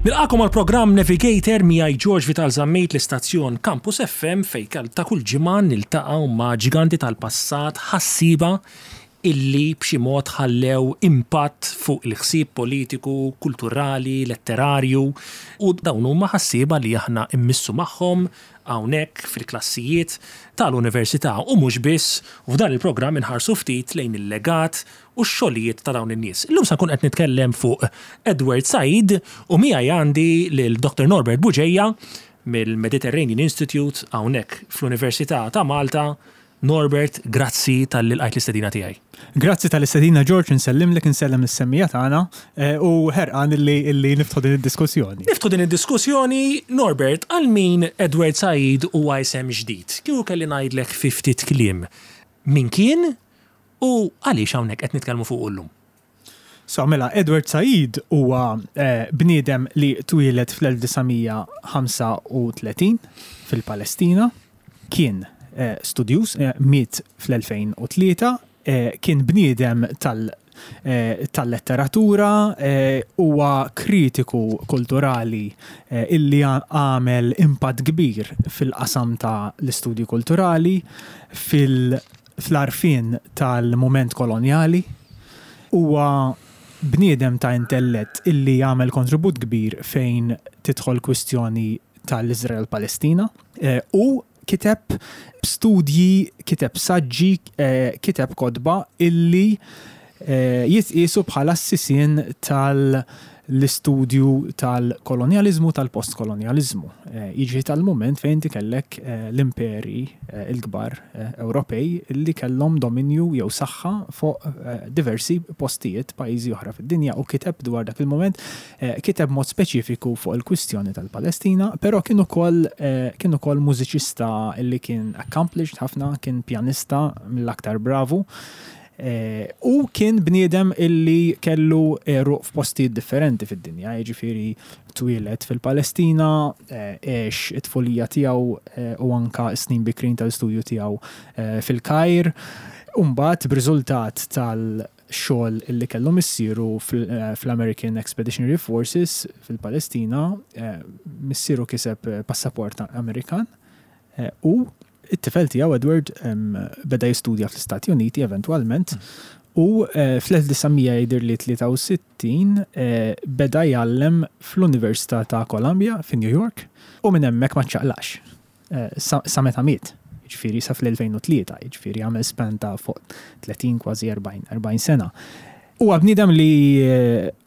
Nilqagħkom għal programm Navigator miegħi George Vital Zammit l-istazzjon Campus FM fejn ta' kull ġimgħa niltaqgħu ma' ġiganti tal-passat ħassieba illi b'xi mod ħallew impatt fuq il-ħsieb politiku, kulturali, letterarju u dawn huma ħassieba li aħna mmissu magħhom hawnhekk fil-klassijiet tal-Università u mhux biss u f'dan il-programm inħarsu ftit lejn il-legat u x-xogħlijiet ta' dawn in-nies. Illum se nkun qed nitkellem fuq Edward Said u miegħi għandi lil Dr. Norbert Bugeja mill-Mediterranean Institute hawnhekk fl-Università ta' Malta. Norbert, grazzi talli lqajt l-istedina tiegħi. Grazzi tal-istedina George, insellimlek, insellem lis-semmiegħa tagħna u ħerqan illi illi niftħu din id-diskussjoni. Niftħu din id-diskussjoni, Norbert, għal min Edward Said huwa isem ġdid? Kieku kelli ngħidlek fi ftit kliem, min kien u għaliex hawnhekk qed nitkellmu fuqu llum? So, mela, Edward Said huwa bniedem li twieled fl-1935 fil-Palestina, kien studjuż, miet fl-2003, kien bniedem tal-letteratura, huwa kritiku kulturali illi għamel impatt kbir fil-qasam ta' l-istudji kulturali, fil- fl-għarfien tal-mument kolonjali. Huwa bniedem ta' intellett illi għamel kontribut kbir fejn tidħol kwistjoni tal-Iżrael-Palestina u kiteb studji, kiteb saġġi, kiteb kotba illi jitqiesu bħala s-sisien tal-istudju tal-kolonjaliżmu tal-postkolonjaliżmu. Jiġifieri tal-mument fejn inti kellek l-imperi l-kbar Ewropej li kellhom dominju jew saħħa fuq diversi postijiet, pajjiżi oħra fid-dinja u kiteb dwar dak il-mument, kiteb b'mod speċifiku fuq il-kwistjoni tal-Palestina, però kien ukoll kien ukoll mużiċista li kien accomplished ħafna, kien pjanista mill-aktar bravu. U kien bniedem illi kellu għeruq f'postijiet differenti fid-dinja, jiġifieri twieled fil-Palestina, għex it-tfulija tiegħu u anke s-snin bikrin tal-istudju tiegħu fil-Kajr, u mbagħad b'riżultat tal-xogħol illi kellu missieru fl-American Expeditionary Forces fil-Palestina, missieru kiseb passaport Amerikan U t-tifel tiegħu Edward beda jistudja fl-Istati Uniti eventwalment u fl-1963 beda jgħallem fl-Università ta' Columbia fi New York u minn hemmhekk ma ċċaqlaqx sa meta miet, jiġifieri sa fl-2003, jiġifieri għamel span ta' fuq 30 kważi 40 sena. Huwa bniedem li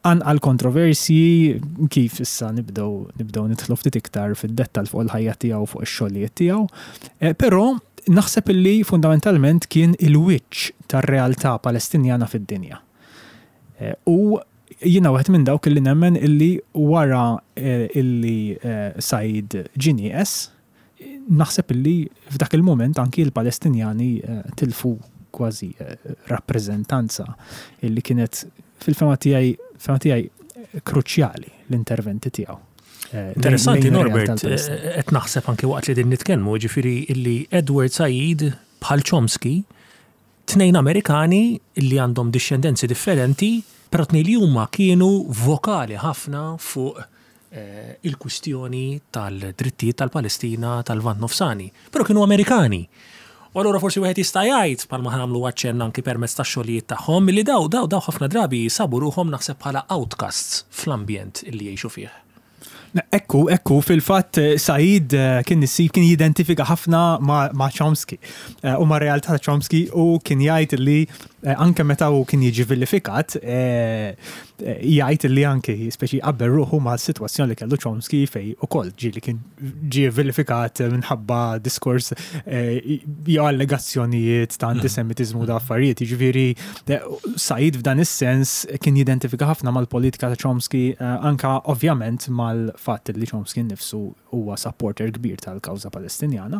qanqal kontroversji kif issa nibdew nibdew nidħlu ftit iktar fid-dettall fuq il-ħajja tiegħu fuq ix-xogħlijiet tiegħu. Però naħseb illi fundamentalment kien il-wiċċ tar-realtà Palestinjana fid-dinja. U jiena wieħed minn dawk illi nemmen illi wara illi Said ġie nieqes, Naħseb illi f'dak il-mument anki l-Palestinjani tilfu kważi rappreżentanza illi kienet fil-fehma tiegħi fehma tiegħi kruċjali l-interventi tiegħu. Interessanti Norbert, qed naħseb anki waqt li din nitkellmu, jiġifieri illi Edward Said bħal Chomsky Tnejn Amerikani li għandhom dixxendenzi differenti, però tnejn li huma kienu vokali ħafna fuq il-kwistjoni tal-drittijiet tal-Palestina tal-Lvant Nofsani. Però kienu Amerikani. U allura forsi wieħed jista' jgħid, bħalma ħa nagħmlu aċċenn anki permezz tax-xogħlijiet tagħhom, li daw daw daw ħafna drabi sabu ruħhom naħseb bħala outcasts fl-ambjent li jgħixu fih. Ekku, ekku, fil-fatt Said kien issib kien jidentifika ħafna ma' Chomsky u ma' realtà ta' Chomsky u kien jgħid li anke meta hu kien jiġi vilifikat jgħid li anke speċi jqabbel ruħu ma' sitwazzjoni li kellu Chomsky fej ukoll ġieli kien ġie vilifikat minħabba diskors jew allegazzjonijiet ta' antisemitiżmu da' affarijiet. Jiġifieri Said f'dan is-sens kien jidentifika ħafna mal-politika ta' Chomsky, anke ovvjament mal-fatt li Chomsky nnifsu huwa supporter kbir tal-kawża Palestinjana.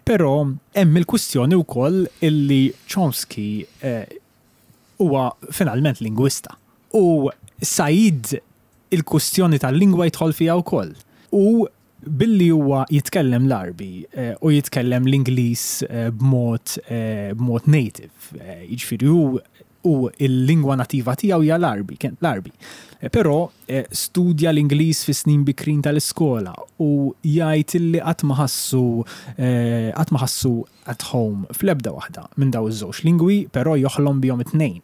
Però hemm il-kwistjoni wkoll illi Chomsky huwa finalment lingwista. U Said il-kwistjoni tal-lingwa jidħol fiha wkoll. U Billi huwa jitkellem l-Għarbi u jitkellem l-Ingliż b'mod b'mod native, jiġifieri hu U l-lingwa nativa tiegħu hija l-Għarbi, kien l-Għarbi. Però studja l-Ingliż fis-snin bikrin tal-iskola u jgħid illi qatt ma ħassu qatt ma ħassu at home fl-ebda waħda minn dawn iż-żewġ lingwi, però joħlom bihom it-tnejn.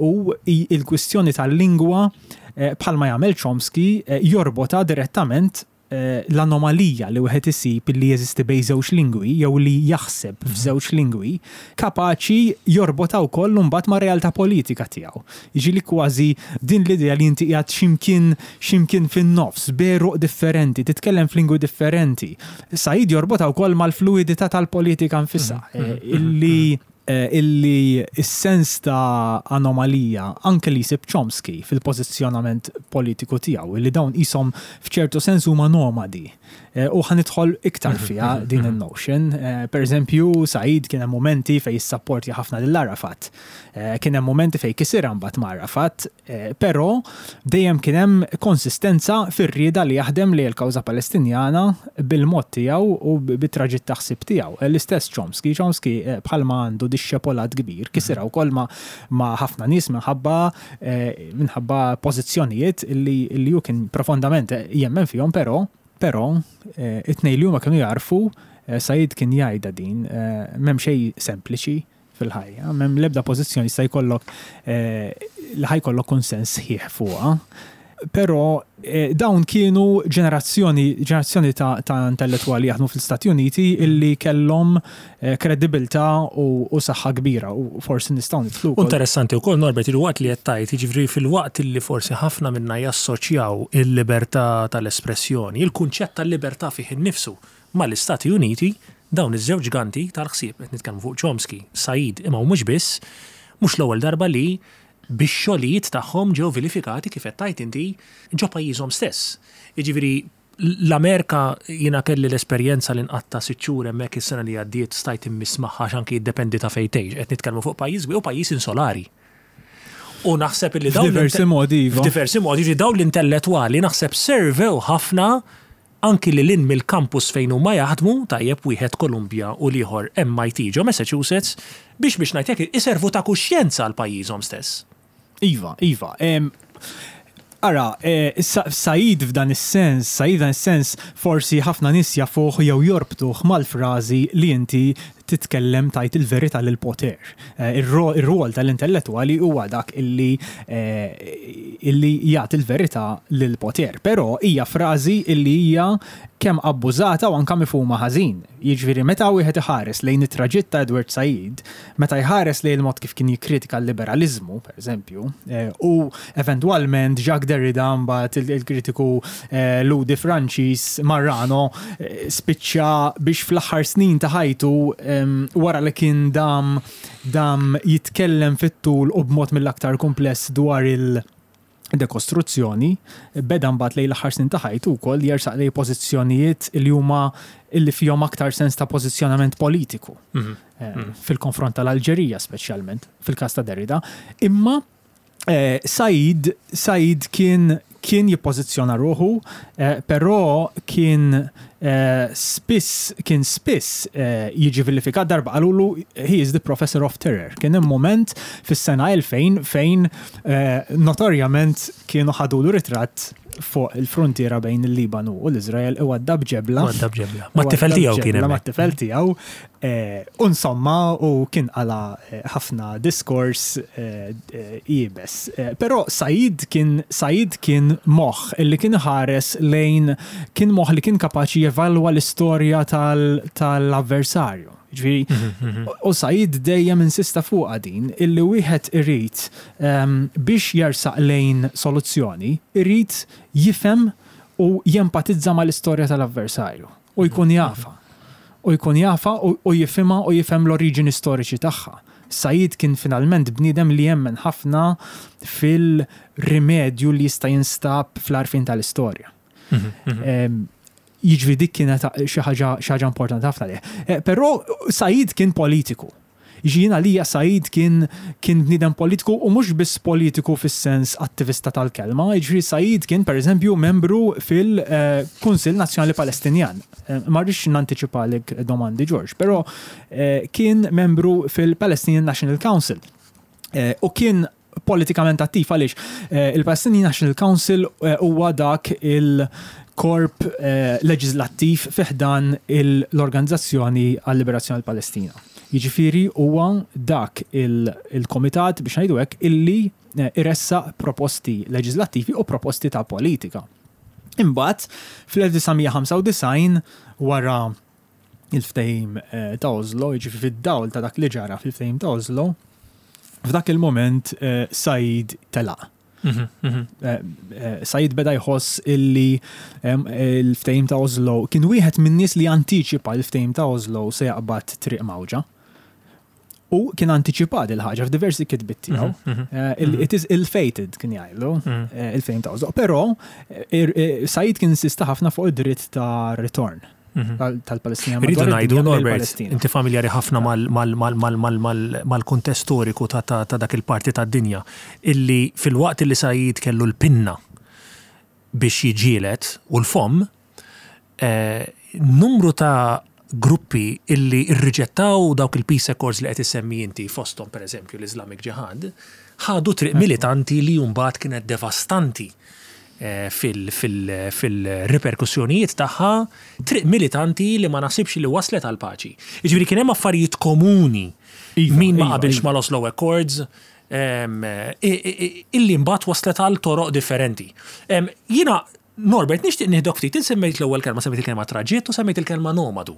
U l-kwistjoni tal-lingwa bħalma jagħmel Chomsky jorbotha direttament l-anomalija li wieħed isib li jeżisti bejn żewġ lingwi jew li jaħseb f'żewġ lingwi, kapaċi jorbotha wkoll imbagħad mar-realtà politika tiegħu. Jiġifieri kważi din l-idea li inti qiegħed xi mkien xi mkien fin-nofs, b'għeruq differenti, titkellem f'lingwi differenti. Said jorbotha wkoll mal-fluwidità tal-politika nfisha, illi Illi s-sens ta' anomalija anke li jsib Chomsky fil-pożizzjonament politiku tiegħu, illi dawn qishom f'ċertu sens huma nomadi. U ħa nidħol iktar fiha din in-notion. Per eżempju, Said kien hemm mumenti fejn issapportja ħafna lil Arafat. Kien hemm mumenti fejn kisirha mbagħad ma' Arafat. Però dejjem kien hemm konsistenza fir-rieda li jaħdem lejn il-kawża Palestinjana bil-mod tiegħu u bit-traġitt ta' ħsieb tiegħu. L-istess Chomsky. Chomsky bħalma għandu dixxepolat kbir, kisirha wkoll ma' ħafna nies minħabba minħabba pożizzjonijiet li hu kien profondament jemmen fihom però però it-tnejn li huma kienu jagħrfu, Said kien jgħidha din, m'hemm xejn sempliċi fil-ħajja. M'hemm l-ebda pożizzjoni jista' jkollok li ħa jkollok kunsens sħiħ fuqha. Però dawn kienu ġenerazzjoni ġenerazzjoni ta', ta intellettwali jaħdmu fl-Istati Uniti illi kellhom kredibilità u, u saħħa kbira u forsi nistgħu nidħlu wkoll. Interessanti wkoll Norbert il-waqt li qed tgħid, jiġifieri filwaqt illi forsi ħafna minna jassoċjaw il-libertà tal-espressjoni, il-kunċett tal-libertà fih innifsu mal-Istati Uniti, dawn iż-żewġ ġganti tal-ħsieb, qed nitkellmu fuq Chomsky, Said, imma mhux biss, mhux l-ewwel darba li bix-xogħlijiet tagħhom ġew vilifikati kif qed tgħid inti ġo pajjiżhom stess. Jiġifieri l-Amerika jiena kelli l-esperjenza li nqatta' sitt xhur hemmhekk is-sena li għaddiet stajt immiss magħha għax anki jiddependi ta' fejn tgħix, qed nitkellmu fuq pajjiż kbir u pajjiż insolari. U naħseb illi dawn F'diversi modi, iva. F'diversi modi, jiġifieri dawn l-intellettwali naħseb servew ħafna Anki lil hinn mill-kampus fejn huma jaħdmu, tajjeb, wieħed Columbia u l-ieħor MIT ġo Massachusetts, biex biex ngħid hekk iservu ta' kuxjenza għal pajjiżhom stess. Iva, iva. Ara, Said f'dan is-sens, Said f'dan is-sens forsi ħafna nies jafuh jew jorbtuh mal-frażi li inti titkellem tgħid il-verità lill-poter. Ir-rwol tal-intellettwali huwa dak illi illi jagħti l-verità lill-poter. Però hija frażi illi hija kemm abbużata u anke mifhuma ħażin. Jiġifieri meta wieħed iħares lejn it-traġitt ta' Edward Said, meta jħares lejn il-mod kif kien jikkritika l-liberaliżmu, pereżempju, u eventwalment Jacques Derrida mbagħad il-kritiku Lhudi Franċiż Marrano spiċċa biex fl-aħħar snin ta' ħajtu wara li kien dam dam jitkellem fit-tul u b'mod mill-aktar kumpless dwar il- dekostruzzjoni, beda mbagħad lejn l-aħħar snin ta' ħajtu wkoll jersaq lejn pożizzjonijiet li huma li fihom aktar sens ta' pożizzjonament politiku. Fil-konfront tal-Alġerija speċjalment, fil-każ ta' Derrida. Imma Said, Said kien kien jippożizzjona ruħu, però kien spiss kien spiss jiġi vilifikat darba qalulu he is the professor of terror. Kien hemm mument fis-sena 2000 fejn notorjament kienu ħadulu ritratt fuq il-fruntiera bejn il-Libanu u l-Iżrael iwaddab ġebla. Iwaddab ġebla. Mat-tifel tiegħu kien hemm. Mat-tifel tiegħu. U insomma, u kien qala ħafna diskors iebes. Però Said kien Said kien moħħ illi kien iħares lejn kien moħħ li kien kapaċi jevalwa l-istorja tal-avversarju. Ġifieri, u Said dejjem insista fuqha din illi wieħed irid biex jersaq lejn soluzzjoni, irid jifhem u jempatizza mal-istorja tal-avversarju u jkun jafha. U jkun jafha u jifhimha u jifhem l-oriġini storiċi tagħha. Said kien finalment bniedem li jemmen ħafna fil-rimedju li jista' jinstab fl-għarfien tal-istorja. Jiġifieri dik kienet xi ħaġa xi ħaġa importanti ħafna lih. Però Said kien politiku. Jiġifieri jien għalija Said kien kien bniedem politiku u mhux biss politiku fis-sens attivista tal-kelma, jiġifieri Said kien pereżempju membru fil-Kunsill Nazzjonali Palestinjan. Ma rridx nantiċipalek domandi George, però kien membru fil-Palestinian National Council. U kien politikament attiv għaliex il-Palestinian National Council huwa dak il-korp leġislattiv fi ħdan l-Organizzazzjoni għal-Liberazzjoni tal-Palestina. Jiġifieri huwa dak il-komitat biex ngħidu hekk illi iressaq proposti leġislattivi u proposti ta' politika. Imbagħad fl-1995 wara il-ftehim ta' Oslo, jiġifieri fid-dawl ta' dak li ġara fil-ftehim ta' Oslo, f'dak il-moment Said telaq. Said beda jħoss illi il-ftehim ta' Oslo kien wieħed min-nies li antiċipa l-ftehim ta' Oslo se jaqbad triq mgħawġa. U kien antiċipat il-ħaġa f'diversi kitbiet tiegħu. It is ill-fated kien jgħidlu il-ftehim ta' Oslo. Però Said kien insista ħafna fuq id-dritt ta' ritorn tal-Palestina. Rridu ngħidu Norbert, inti familjari ħafna mal-kuntest storiku ta' dak il-parti tad-dinja illi filwaqt illi Said kellu l-pinna biex jiġġieled u l-fomm, numru ta' gruppi illi rriġettaw dawk il-peace accords li qed issemmi inti, fosthom pereżempju l-Islamic Jihad, ħadu triq militanti li mbagħad kienet devastanti fil-riperkussjonijiet tagħha, triq militanti li ma naħsibx li waslet għall-paċi. Jiġifieri kien hemm affarijiet komuni min ma qabilx mal-Oslo Accords, illi mbagħad waslet għal toroq differenti. Jiena, Norbert, nixtieq nieħdok ftit, int semmejt l-ewwel kelma, semmejt il-kelma traġitt u semmejt il-kelma nomadu.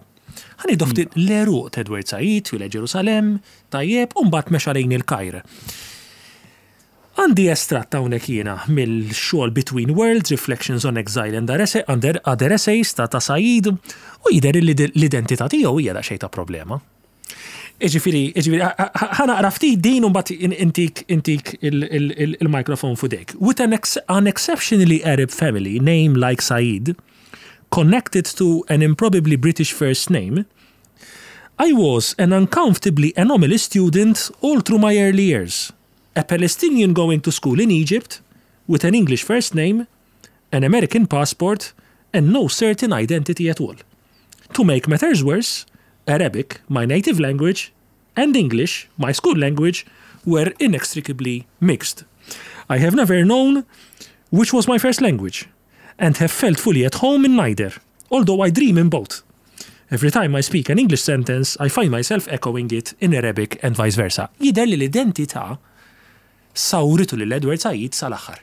Ħa nieħdok ftit l-għeruq ta' Edward Said, twieled Ġerusalemm, tajjeb, u mbagħad mexa lejn il-Kajr. Għandi estratt hawnhekk jiena mill-xogħol Between Worlds, Reflections on Exile and Other Essays ta' ta' Said u jidher li l-identità tiegħu hija daqsxejn ta' problema. Iġifieri, iġifieri, ħa naqra ftit din u mbagħad intik intik il-mikrofon f'idejk. With an, an exceptionally Arab family name like Said, connected to an improbably British first name, I was an uncomfortably anomalous student all through my early years. A Palestinian going to school in Egypt with an English first name, an American passport, and no certain identity at all. To make matters worse, Arabic, my native language, and English, my school language, were inextricably mixed. I have never known which was my first language, and have felt fully at home in neither, although I dream in both. Every time I speak an English sentence, I find myself echoing it in Arabic and vice versa. Jidher li l-identità sawritu lil Edward Said sal-aħħar.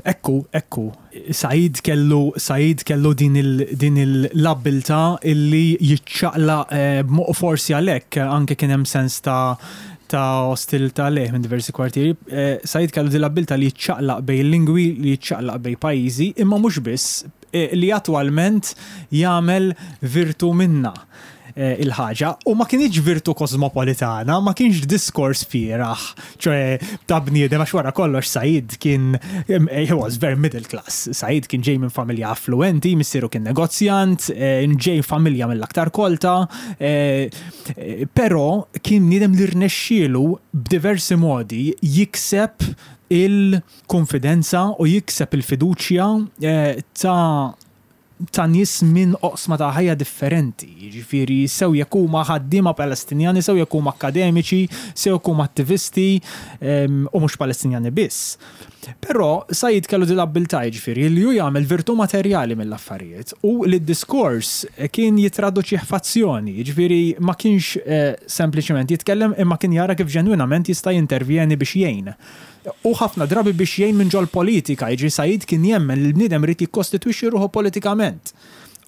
Ekku, ekku. Said kellu, Said kellu din il, din l-abbiltà illi jiċċaqlaq u forsi għalhekk anke kien hemm sens ta' ta' ostilità lejh minn diversi kwartieri. Said kellu din l-abbiltà li jiċċaqlaq bejn lingwi, li jiċċaqlaq bejn pajjiżi, imma mhux biss, li attwalment jagħmel virtu minnha. il-ħaġa u ma kinitx virtu kosmopolitana, ma kienx diskors fieragħ, ċoe ta' bniedem għax wara kollox Said kien he was very middle class. Said kien ġej minn familja affluenti, missieru kien negozjant, ġej familja mill-aktar kolta, però kien bniedem li rnexxielu b'diversi modi jikseb il-konfidenza u jikseb il-fiduċja ta' ta' nies minn oqsma ta' ħajja differenti, jiġifieri sew jekk huma ħaddiema Palestinjani, sew jekk huma akkademiċi, sew jekk huma attivisti u mhux Palestinjani biss. Però Said kellu din l-abbiltà jiġifieri li hu jagħmel virtù materjali mill-affarijiet u li d-diskors kien jittraduċih f'azzjoni, jiġifieri ma kienx sempliċement jitkellem imma kien jara kif ġenwinament jista' jintervjeni biex jgħin. U ħafna drabi biex jgħin minn ġol-politika, jiġifieri Said kien jemmen li l-bniedem irid jikkostitwixxi ruħu politikament.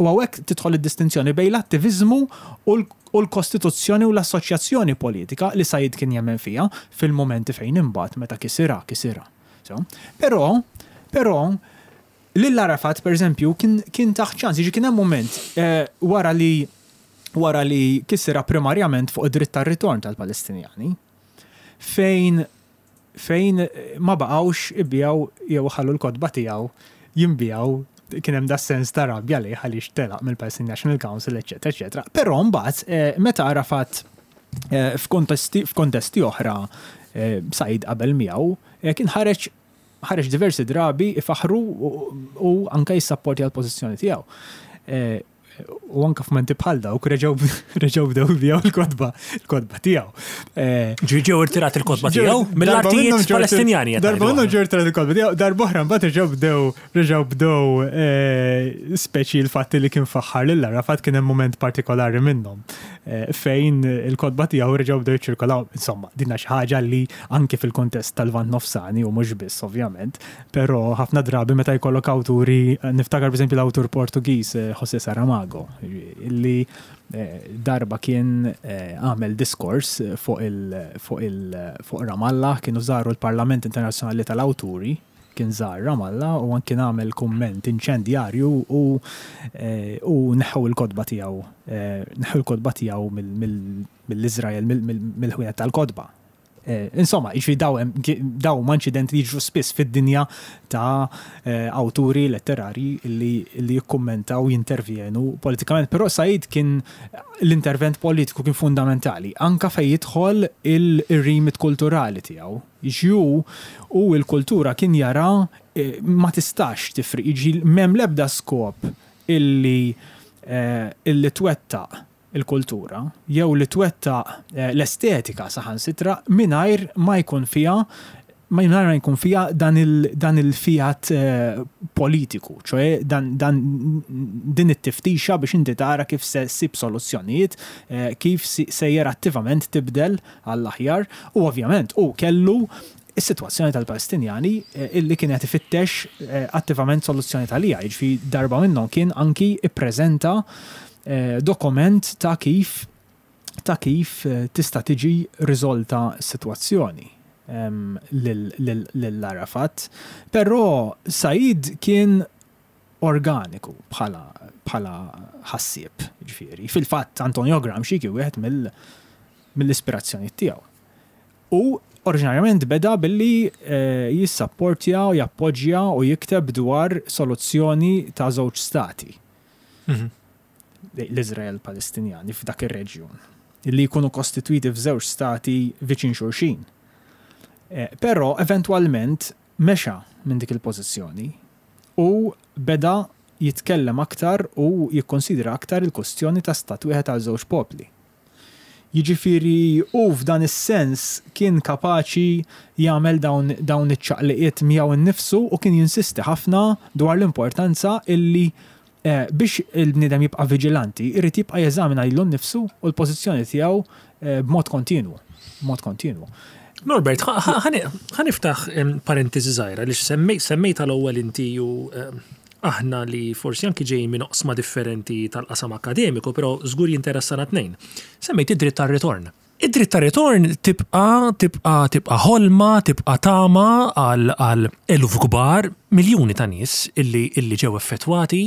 U hawnhekk tidħol id-distinzjoni bejn l-attiviżmu u l-kostituzzjoni u l-assoċjazzjoni politika li Said kien jemmen fiha fil-mumenti fejn imbagħad meta kisirha, kisirha. Però, però, lil Arafat, per eżempju, kien kien tah ċans, jiġifieri kien hemm mument wara li wara li kisirha primarjament fuq id-dritt tar-ritorn tal-Palestinjani, fejn fejn ma baqgħux ibigħu jew iħallu l-kotba tiegħu jinbiegħu kien hemm das-sens ta' rabja lejh għaliex telaq mill-Palestine National Council, eċċetera, eċċetera. Però mbagħad meta Arafat f'kontesti f'kontesti oħra Said qabel miegħu kien ħareġ ħareġ diversi drabi ifaħħru u anke jissapportja l-pożizzjoni tiegħu. U anka f'menti bħal dawk reġgħu reġgħu bdew jbiegħu l-kotba l-kotba tiegħu. Eh, Ġi ġew irtirat il-kotba tiegħu mill-artijiet Palestinjani. Darba minnhom ġew irtirat il-kotba tiegħu, darba oħra mbagħad reġgħu bdew reġgħu bdew eh, speċi l-fatt li kien faħħar lil Arafat kien hemm mument partikolari minnhom eh, fejn il-kotba tiegħu reġgħu bdew jiċċirkolaw. Insomma, dinna xi ħaġa li anke fil-kontest tal-Lvant Nofsani u mhux biss ovvjament, Però ħafna drabi meta jkollok awturi, niftakar pereżempju l-awtur Portugiż eh, José Saramago, li eh, darba kien eh, għamel diskors fuq il, fuq il, fuq Ramallah, kienu żaru l-Parlament Internazzjonali tal-Awturi, kien żar Ramallah u kien għamel kumment inċendjarju u u neħħu l-kotba tiegħu neħħu l-kotba tiegħu mill-Iżrael mill-ħwienet tal-kotba. Eh, insomma, jiġifieri daw daw ma inċidenti li jiġru spiss fid-dinja ta' eh, awturi letterari li, li jikkummentaw jintervjenu politikament. Però Said kien l-intervent politiku kien fundamentali, anka fej jidħol il-rimit kulturali tiegħu. Ġju u l-kultura kien jara eh, ma tistax tifriq, jiġi m'hemm l-ebda skop illi illi twettaq il-kultura, jew li twettaq l-estetika saħansitra mingħajr ma jkun fiha mingħajr ma jkun fiha dan il dan il-fiat politiku, ċoe dan dan din it-tiftixa biex inti tara kif se ssib soluzzjonijiet, kif sejjer attivament tibdel għall-aħjar u ovvjament hu kellu is-sitwazzjoni tal-Palestinjani illi kien qed ifittex attivament soluzzjoni għaliha, jiġifieri darba minnhom kien anki ppreżenta dokument ta' kif ta' kif tista' tiġi riżolta s-sitwazzjoni lil Arafat. Però Said kien organiku bħala bħala ħassieb, ġifieri. Fil-fatt Antonio Gramsci kien wieħed mill-ispirazzjonijiet tiegħu. U oriġinarjament beda billi jissapportja u jappoġġja u jikteb dwar soluzzjoni ta' żewġ stati. L-Iżrael Palestinjani f'dak ir-reġjun, li jkunu kostitwiti f'żewġ stati viċin xulxin. Però eventwalment mexa minn dik il-pożizzjoni u beda jitkellem aktar u jikkonsidra aktar il-kustjoni ta' stat wieħed għal żewġ popli. Jiġifieri hu f'dan is-sens kien kapaċi jagħmel dawn dawn iċ-ċaqliqiet miegħu nnifsu u kien jinsisti ħafna dwar l-importanza illi biex il-bniedem jibqa' viġilanti jrid jibqa' jeżamina lilu nnifsu u l-pożizzjoni tiegħu b'mod kontinwu, b'mod kontinwu. Norbert, ħa niftaħ parentesi żgħira għaliex semmejtha l-ewwel inti u Aħna li forsi anki ġejjin minn oqsma differenti tal-qasam akkademiku, però żgur jinteressana t-tnejn. Semmejt id-dritt tar-ritorn. Id-dritt tar-ritorn tibqa' tibqa' tibqa' ħolma, tibqa' tama għal għal eluf kbar, miljuni ta' nies illi illi ġew effettwati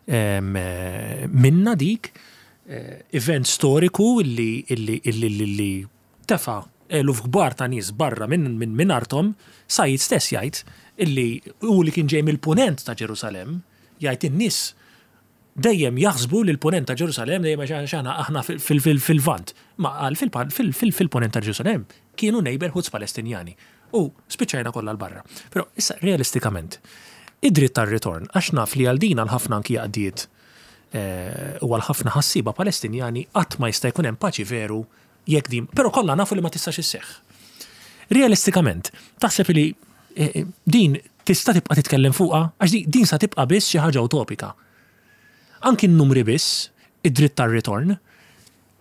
minnha dik, event storiku illi illi illi illi tefa' eluf kbar ta' nies barra minn minn arthom, Said stess jgħid illi hu li kien ġej mill-Punent ta' Ġerusalemm, jgħid in-nies dejjem jaħsbu li l-Punent ta' Ġerusalemm dejjem għax aħna aħna fil-Lvant. Ma qal fil-Punent ta' Ġerusalemm kienu neighbourhoods Palestinjani u spiċċajna kollha 'l barra. Però issa realistikament, id-dritt tar-ritorn, għax naf li għal din għal ħafna anki għaqdiet u għal ħafna ħassieba Palestinjani qatt ma jista' jkun hemm paċi veru Jekk din, però kollha nafu li ma tistax isseħħ. Realistikament, taħseb li eh, din tista' tibqa' titkellem fuqha? Għax din sa tibqa' biss xi ħaġa utopika. Anki n-numri biss, id-dritt tar-ritorn,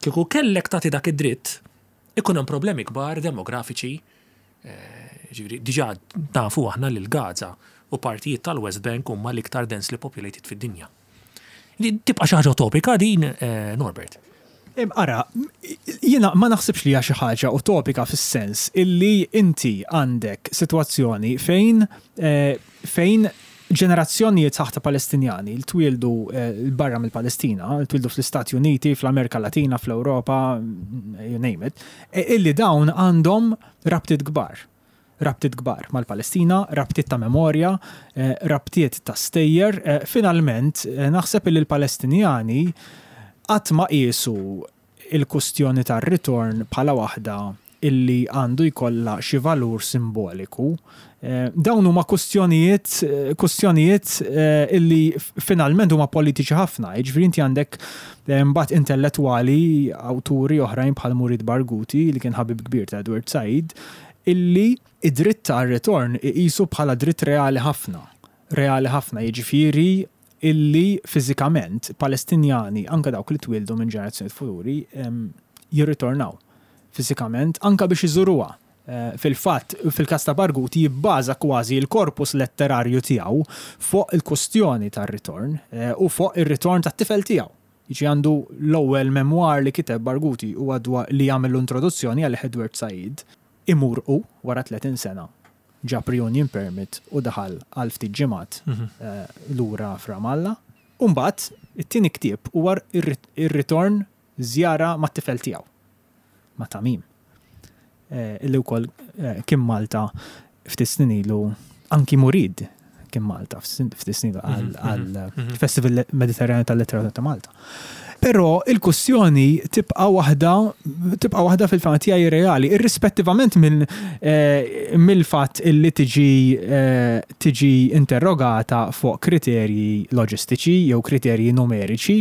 kieku kellek tagħti dak id-dritt, ikun hemm problemi kbar demografiċi eh, ġifieri diġà nafu aħna li l-Gaza u partijiet tal-West Bank huma l-iktar densely populated fid-dinja. Tibqa' xi ħaġa utopika din, eh, Norbert? Ara, jiena ma naħsibx li hija xi ħaġa utopika fis-sens illi inti għandek sitwazzjoni fejn eh, fejn ġenerazzjonijiet sħaħ ta' Palestinjani li twieldu eh, barra mill-Palestina, li twieldu fl-Istati Uniti, fl-Amerika Latina, fl-Ewropa, you name it, illi dawn għandhom rabtiet kbar. Rabtiet kbar mal-Palestina, rabtiet ta' memorja, rabtiet ta' stejjer. Finalment, naħseb illi l-Palestinjani qatt ma qiesu l-kustjoni tar-ritorn bħala waħda illi għandu jkollha xi valur simboliku. Dawn huma kustjonijiet kustjonijiet illi finalment huma politiċi ħafna. Jiġifieri inti għandek mbagħad intellettwali, awturi oħrajn bħal Murid Barghouti li kien ħabib kbir ta' Edward Said, illi id-dritt għar-ritorn iqisu bħala dritt reali ħafna. Reali ħafna, jiġifieri illi fiżikament Palestinjani, anke dawk li twieldu minn ġenerazzjonijiet futuri, jirritornaw fiżikament anke biex iżuruha. Fil-fatt, fil-każ ta' Barghouti jibbaża kważi l-korpus letterarju tiegħu fuq il-kustjoni tar-ritorn u fuq ir-ritorn tat-tifel tiegħu. Jiġi għandu l-ewwel memoir li kiteb Barghouti huwa dwar li jagħmillu introduzzjoni għalih Edward Said. Imur hu wara 30 sena ġab reunion permit u daħal għal ftit ġimgħat lura f'Ramallah. U mbagħad it-tieni ktieb huwa r-ritorn żjara mat-tifel tiegħu, ma' Tamim, illi wkoll kien Malta ftit snin ilu, anki Murid kien Malta ftit snin ilu għall-Festival Mediterranju tal-Letteratura ta' Malta. Però il-kwestjoni tibqa' waħda tibqa' waħda fil-fehma tiegħi reali, irrispettivament mill-fatt illi tiġi tiġi interrogata fuq kriterji loġistiċi jew kriterji numeriċi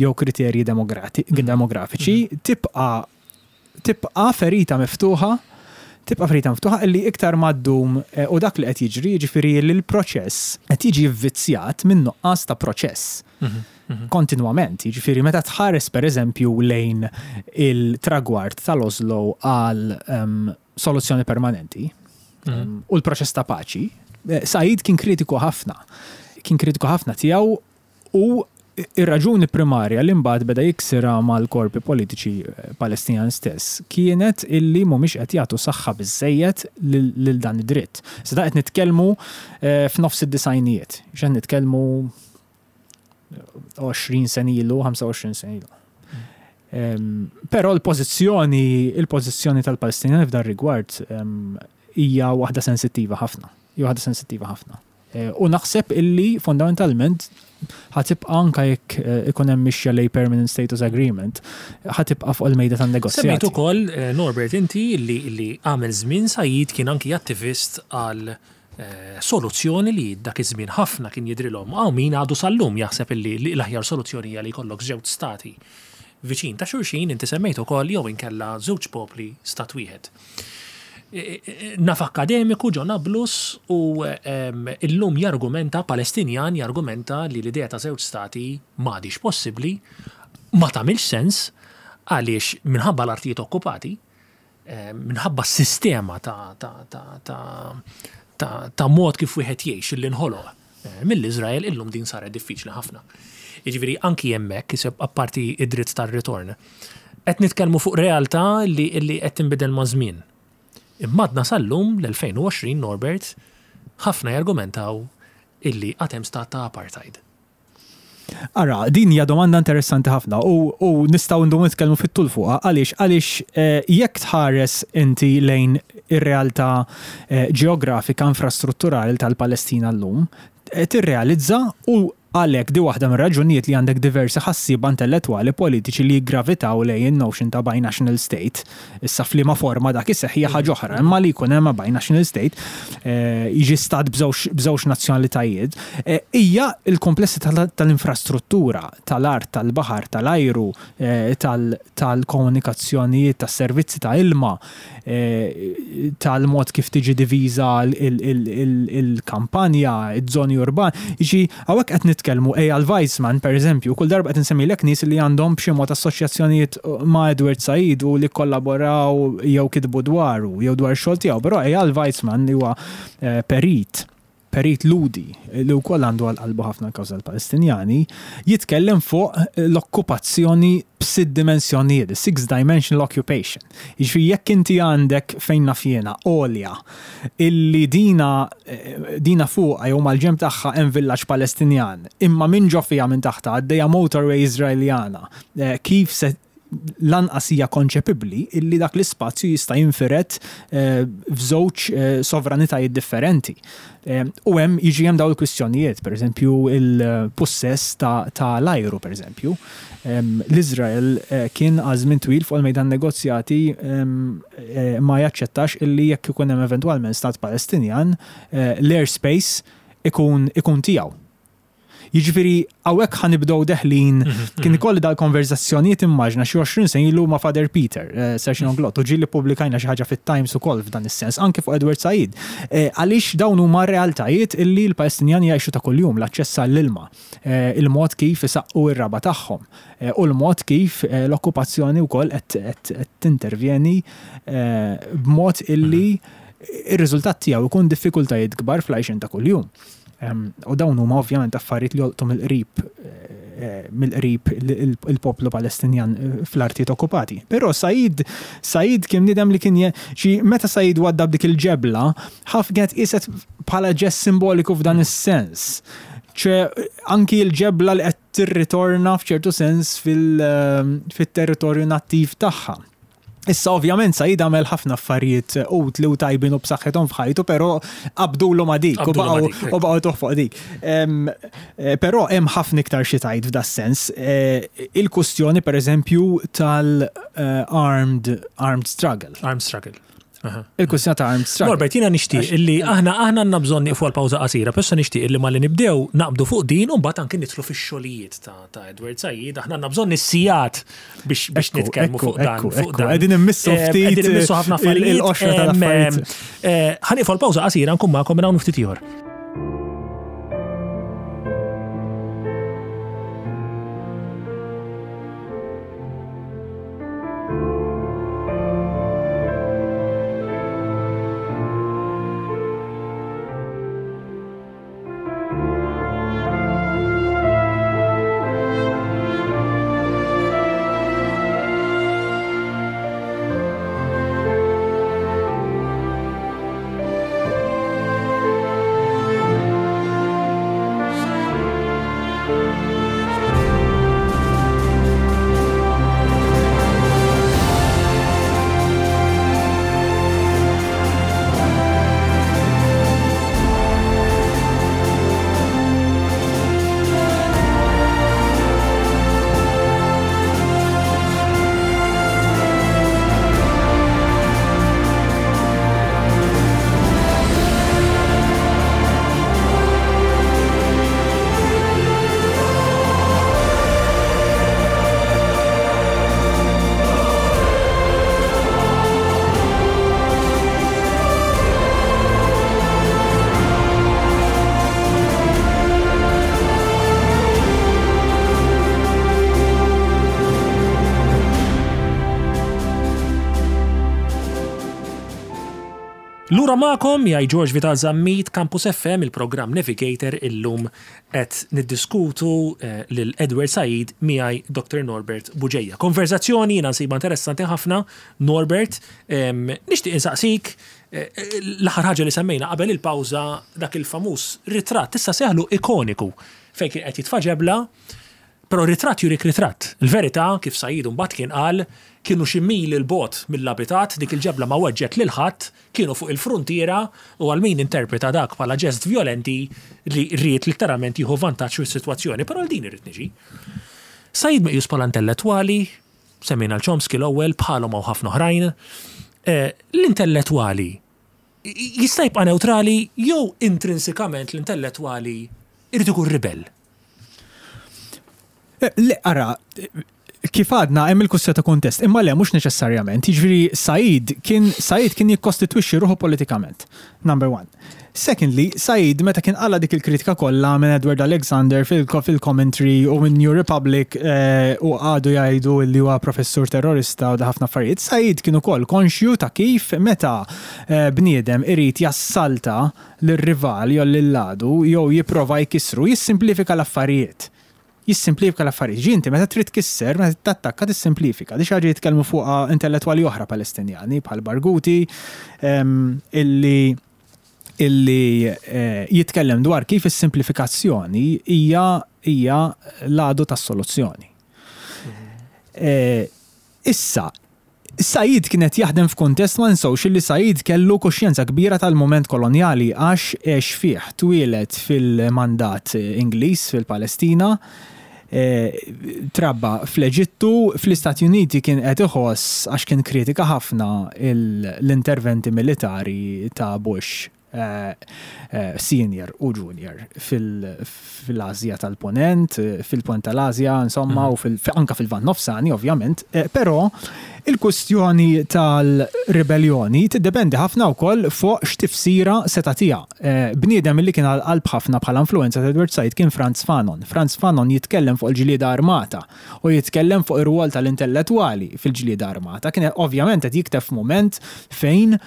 jew kriterji demografiċi, tibqa' tibqa' ferita miftuħa, tibqa' ferita miftuħa illi iktar ma ddum u dak li qed jiġri, jiġifieri li l-proċess qed jiġi vvizzjat minn nuqqas ta' proċess. Kontinwament, jiġifieri meta tħares pereżempju lejn il-tragward tal-Oslo għal soluzzjoni permanenti u l-proċess ta' paċi, Said kien kritiku ħafna. Kien kritiku ħafna tiegħu U r-raġuni primarja li mbagħad beda jiksirha mal-korpi politiċi Palestinjani stess kienet illi mhumiex qed jagħtu saħħa biżżejjed lil dan id-dritt. Issa dan qed nitkellmu f'nofs id-disgħinijiet, x'qed nitkellmu 20 sena ilu, 25 sena ilu. Però l-pożizzjoni il-pożizzjoni tal-Palestinjani f'dan rigward hija waħda sensittiva ħafna. Hija waħda sensittiva ħafna. U naħseb illi fondamentalment ħa tibqa' anke jekk ikun hemm mixja lejn permanent status agreement, ħa tibqa' fuq il-mejda tan-negozjati. Semmejt ukoll, Norbert, inti li għamel żmien Said kien anki attivist għal soluzzjoni li dak iż-żmien ħafna kien jidhrilhom, hawn min għadu sal-lum jaħseb illi l-aħjar soluzzjoni hija li jkollok żewġ stati viċin ta' xulxin, inti semmejt ukoll jew inkella żewġ popli stat wieħed. Naf akkademiku ġo Nablus u illum jargumenta, Palestinjan jargumenta li l-idea ta' żewġ stati m'għadhiex possibbli, ma tagħmilx sens għaliex minħabba l-artijiet okkupati, minħabba s-sistema ta' ta' mod kif wieħed jgħix li nħoloq mill-Iżrael illum din saret diffiċli ħafna. Jiġifieri anki hemmhekk, apparti id-dritt tar-ritorn, qed nitkellmu fuq realtà li qed tinbidel maż-żmien. Imma għadna sal-lum, l-2020, Norbert, ħafna jargumentaw illi għad hemm stat ta' apartheid. Ara, din hija domanda interessanti ħafna u, u nistgħu ndumu nitkellmu fit-tul fuqha. Għaliex? Għaliex eh, jekk tħares inti lejn ir-realtà eh, ġeografika infrastrutturali tal-Palestina llum, eh, tirrealizza u għalhekk di waħda mir-raġunijiet li għandek diversi ħassieba intellettwali politiċi li jiggravitaw lejn in-notion ta' binational state. Issa f'liema forma dak iseħħ hija ħaġa oħra, imma li jkun hemm binational state, jiġi stat b'żewġ nazzjonalitajiet, hija l-kumplessità tal-infrastruttura, tal-art, tal-baħar, tal-ajru, tal-komunikazzjonijiet, tas-servizzi ta' ilma, tal-mod kif tiġi diviża l-kampanja, iż-żoni urbani. Jiġi, hawnhekk qed nitkellmu Eyal Weizman, pereżempju, kull darba qed insemmilek nies li għandhom b'xi mod assoċjazzjonijiet ma' Edward Said u li kkollaboraw jew kitbu dwaru jew dwar ix-xogħol tiegħu, però Eyal Weizman li huwa perit, perit Lhudi li wkoll għandu għal qalbu ħafna l-kawża tal-Palestinjani, jitkellem fuq l-okkupazzjoni b'sitt dimensjonijiet, the six dimensional occupation. Jiġifieri jekk inti għandek fejn naf jiena għolja illi dina dina fuqha jew mal-ġenb tagħha hemm villaġġ Palestinjan, imma minn ġo fiha minn taħtha għaddejja motorway Iżraeljana, kif se. Lanqas hija konċepibbli illi dak l-ispazju jista' jinfired f'żewġ sovranitajiet differenti. U hemm jiġi hemm dawn il-kwistjonijiet, pereżempju il-pussess ta' l-ajru pereżempju. L-Iżrael kien għal żmien twil fuq il-mejda tan-negozjati ma jaċċettax illi jekk ikun hemm eventwalment stat Palestinjan, l-airspace ikun ikun tiegħu. Jiġifieri hawnhekk ħa nibdew deħlin, kien ikolli dal-konverżazzjonijiet immaġna xi 20 sena ilu ma' Father Peter, Sir Sean Glott, u ġieli ppubblikajna xi ħaġa fit-Times ukoll f'dan is-sens, anke fuq Edward Said. Għaliex dawn huma realtajiet illi l-Palestinjani jgħixu ta' kuljum, l-aċċess għall-ilma, il-mod kif isaqqu r-raba' tagħhom, u l-mod kif l-okkupazzjoni wkoll qed tintervjeni b'mod illi ir-riżultat tiegħu jkun diffikultajiet kbar fl-għajxien ta' kuljum. U dawn huma ovvjament affarijiet li jolqtu mill-qrib eh, mill-qrib il-poplu Palestinjan eh, fl-artijiet okkupati. Però Said Said kien nidem li kien xi meta Said waddab dik il-ġebla, ħaf kienet qiset bħala ġest simboliku f'dan is-sens. ċe anki l-ġebla li qed tirritorna f'ċertu sens fil-territorju nattiv tagħha. Issa ovvjament Said għamel ħafna affarijiet utli u tajbin u b'saħħithom f'ħajtu, però qabdulu ma' dik u baqgħu u baqgħu tuħ fuq dik. Eh, però hemm ħafna iktar xi tgħid f'das-sens. Eh, il-kustjoni pereżempju tal-armed eh, armed struggle. Armed struggle. Il-kwistjoni ta' armed struggle. Norbert, jiena nixtieq illi aħna aħna għandna bżonn nieqfu għal pawża qasira, però nixtieq illi malli nibdew naqbdu fuq din u mbagħad anke nidħlu fix-xogħlijiet ta' Edward Said, aħna għandna bżonn is-sigħat biex biex nitkellmu fuq dan. Qegħdin immissu eh, ftit. Qegħdin immissu ħafna affarijiet. Il-qoxra tal-affarijiet. Eh, ħa nieqfu għal pawża qasira nkun magħkom minn hawn ftit ieħor. Lura magħkom jgħid George Vital Zammit, Campus FM, il-programm Navigator illum qed niddiskutu eh, lil Edward Said miegħi Dr. Norbert Buġeja. Konverzazzjoni jiena nsibha interessanti ħafna, Norbert, nixtieq insaqsik eh, l-aħħar ħaġa li semmejna qabel il-pawża dak il-famuż ritratt issa seħlu ikoniku fejn kien qed jitfa' ġebla Però ritratt jurik ritratt. Il-verità, kif Said imbagħad kien qal, kienu xi mili 'l bogħod mill-abitat, dik il-ġebla ma weġġgħet lil ħadd, kienu fuq il-fruntiera u għal min interpreta dak bħala ġest vjolenti li ried litteralment jieħu vantaġġ mis-sitwazzjoni. Però għal din irrid niġi. Said meqjus bħala intellettwali, semmejna 'l Chomsky l-ewwel, bħalhom hawn ħafna oħrajn. L-intellettwali jista' jibqa' newtrali jew intrinsikament l-intellettwali jrid ikun ribell? Eh, le, ara, kif għadna hemm il-kwistjoni ta' kuntest, imma le mhux neċessarjament. Jiġifieri Said kien Said kien jikkostitwixxi ruħu politikament. Number one. Secondly, Said meta kien qala dik il-kritika kollha minn Edward Alexander fil-commentary u minn New Republic eh, u għadu jgħidu li huwa professur terrorista u da ħafna affarijiet, Said kien ukoll konxju ta' kif meta eh, bniedem irid jassalta lir-rival jew lill-għadu jew jipprova jkissru, jissimplifika l-affarijiet. Jissimplifika l-affarijiet. Ġi inti meta trid tkisser, meta trid tattakka tissimplifika. Di xi ħaġa jitkellmu fuqha intellettwali oħra Palestinjani bħal Barghouti illi illi eh, jitkellem dwar kif is-simplifikazzjoni hija hija l-għadu tas-soluzzjoni. Eh, Issa, Said kien qed jaħdem f'kuntest ma ninsewx illi Said kellu kuxjenza kbira tal-mument kolonjali għax għex fih, twieled fil-mandat Ingliż fil-Palestina, trabba fl-Eġittu, fl-Istati Uniti kien qed iħoss għax kien kritika ħafna l-interventi militari ta' Bush senior u junior fil-Asja tal-Ponent, fil-Ponent tal-Asja, insomma, u anka fil-Lvant Nofsani, ovvjament. Però il-kwistjoni tal-ribelljoni tiddependi ħafna wkoll fuq x'tifsira se tagħtiha. Bniedem li kien għal qalb ħafna bħala influwenza ta' Edward Said kien Frantz Fanon. Frantz Fanon jitkellem fuq il-ġlieda armata u jitkellem fuq ir-rwol tal-intellettwali fil-ġlieda armata. Kien ovvjament qed jikteb f'mument fejn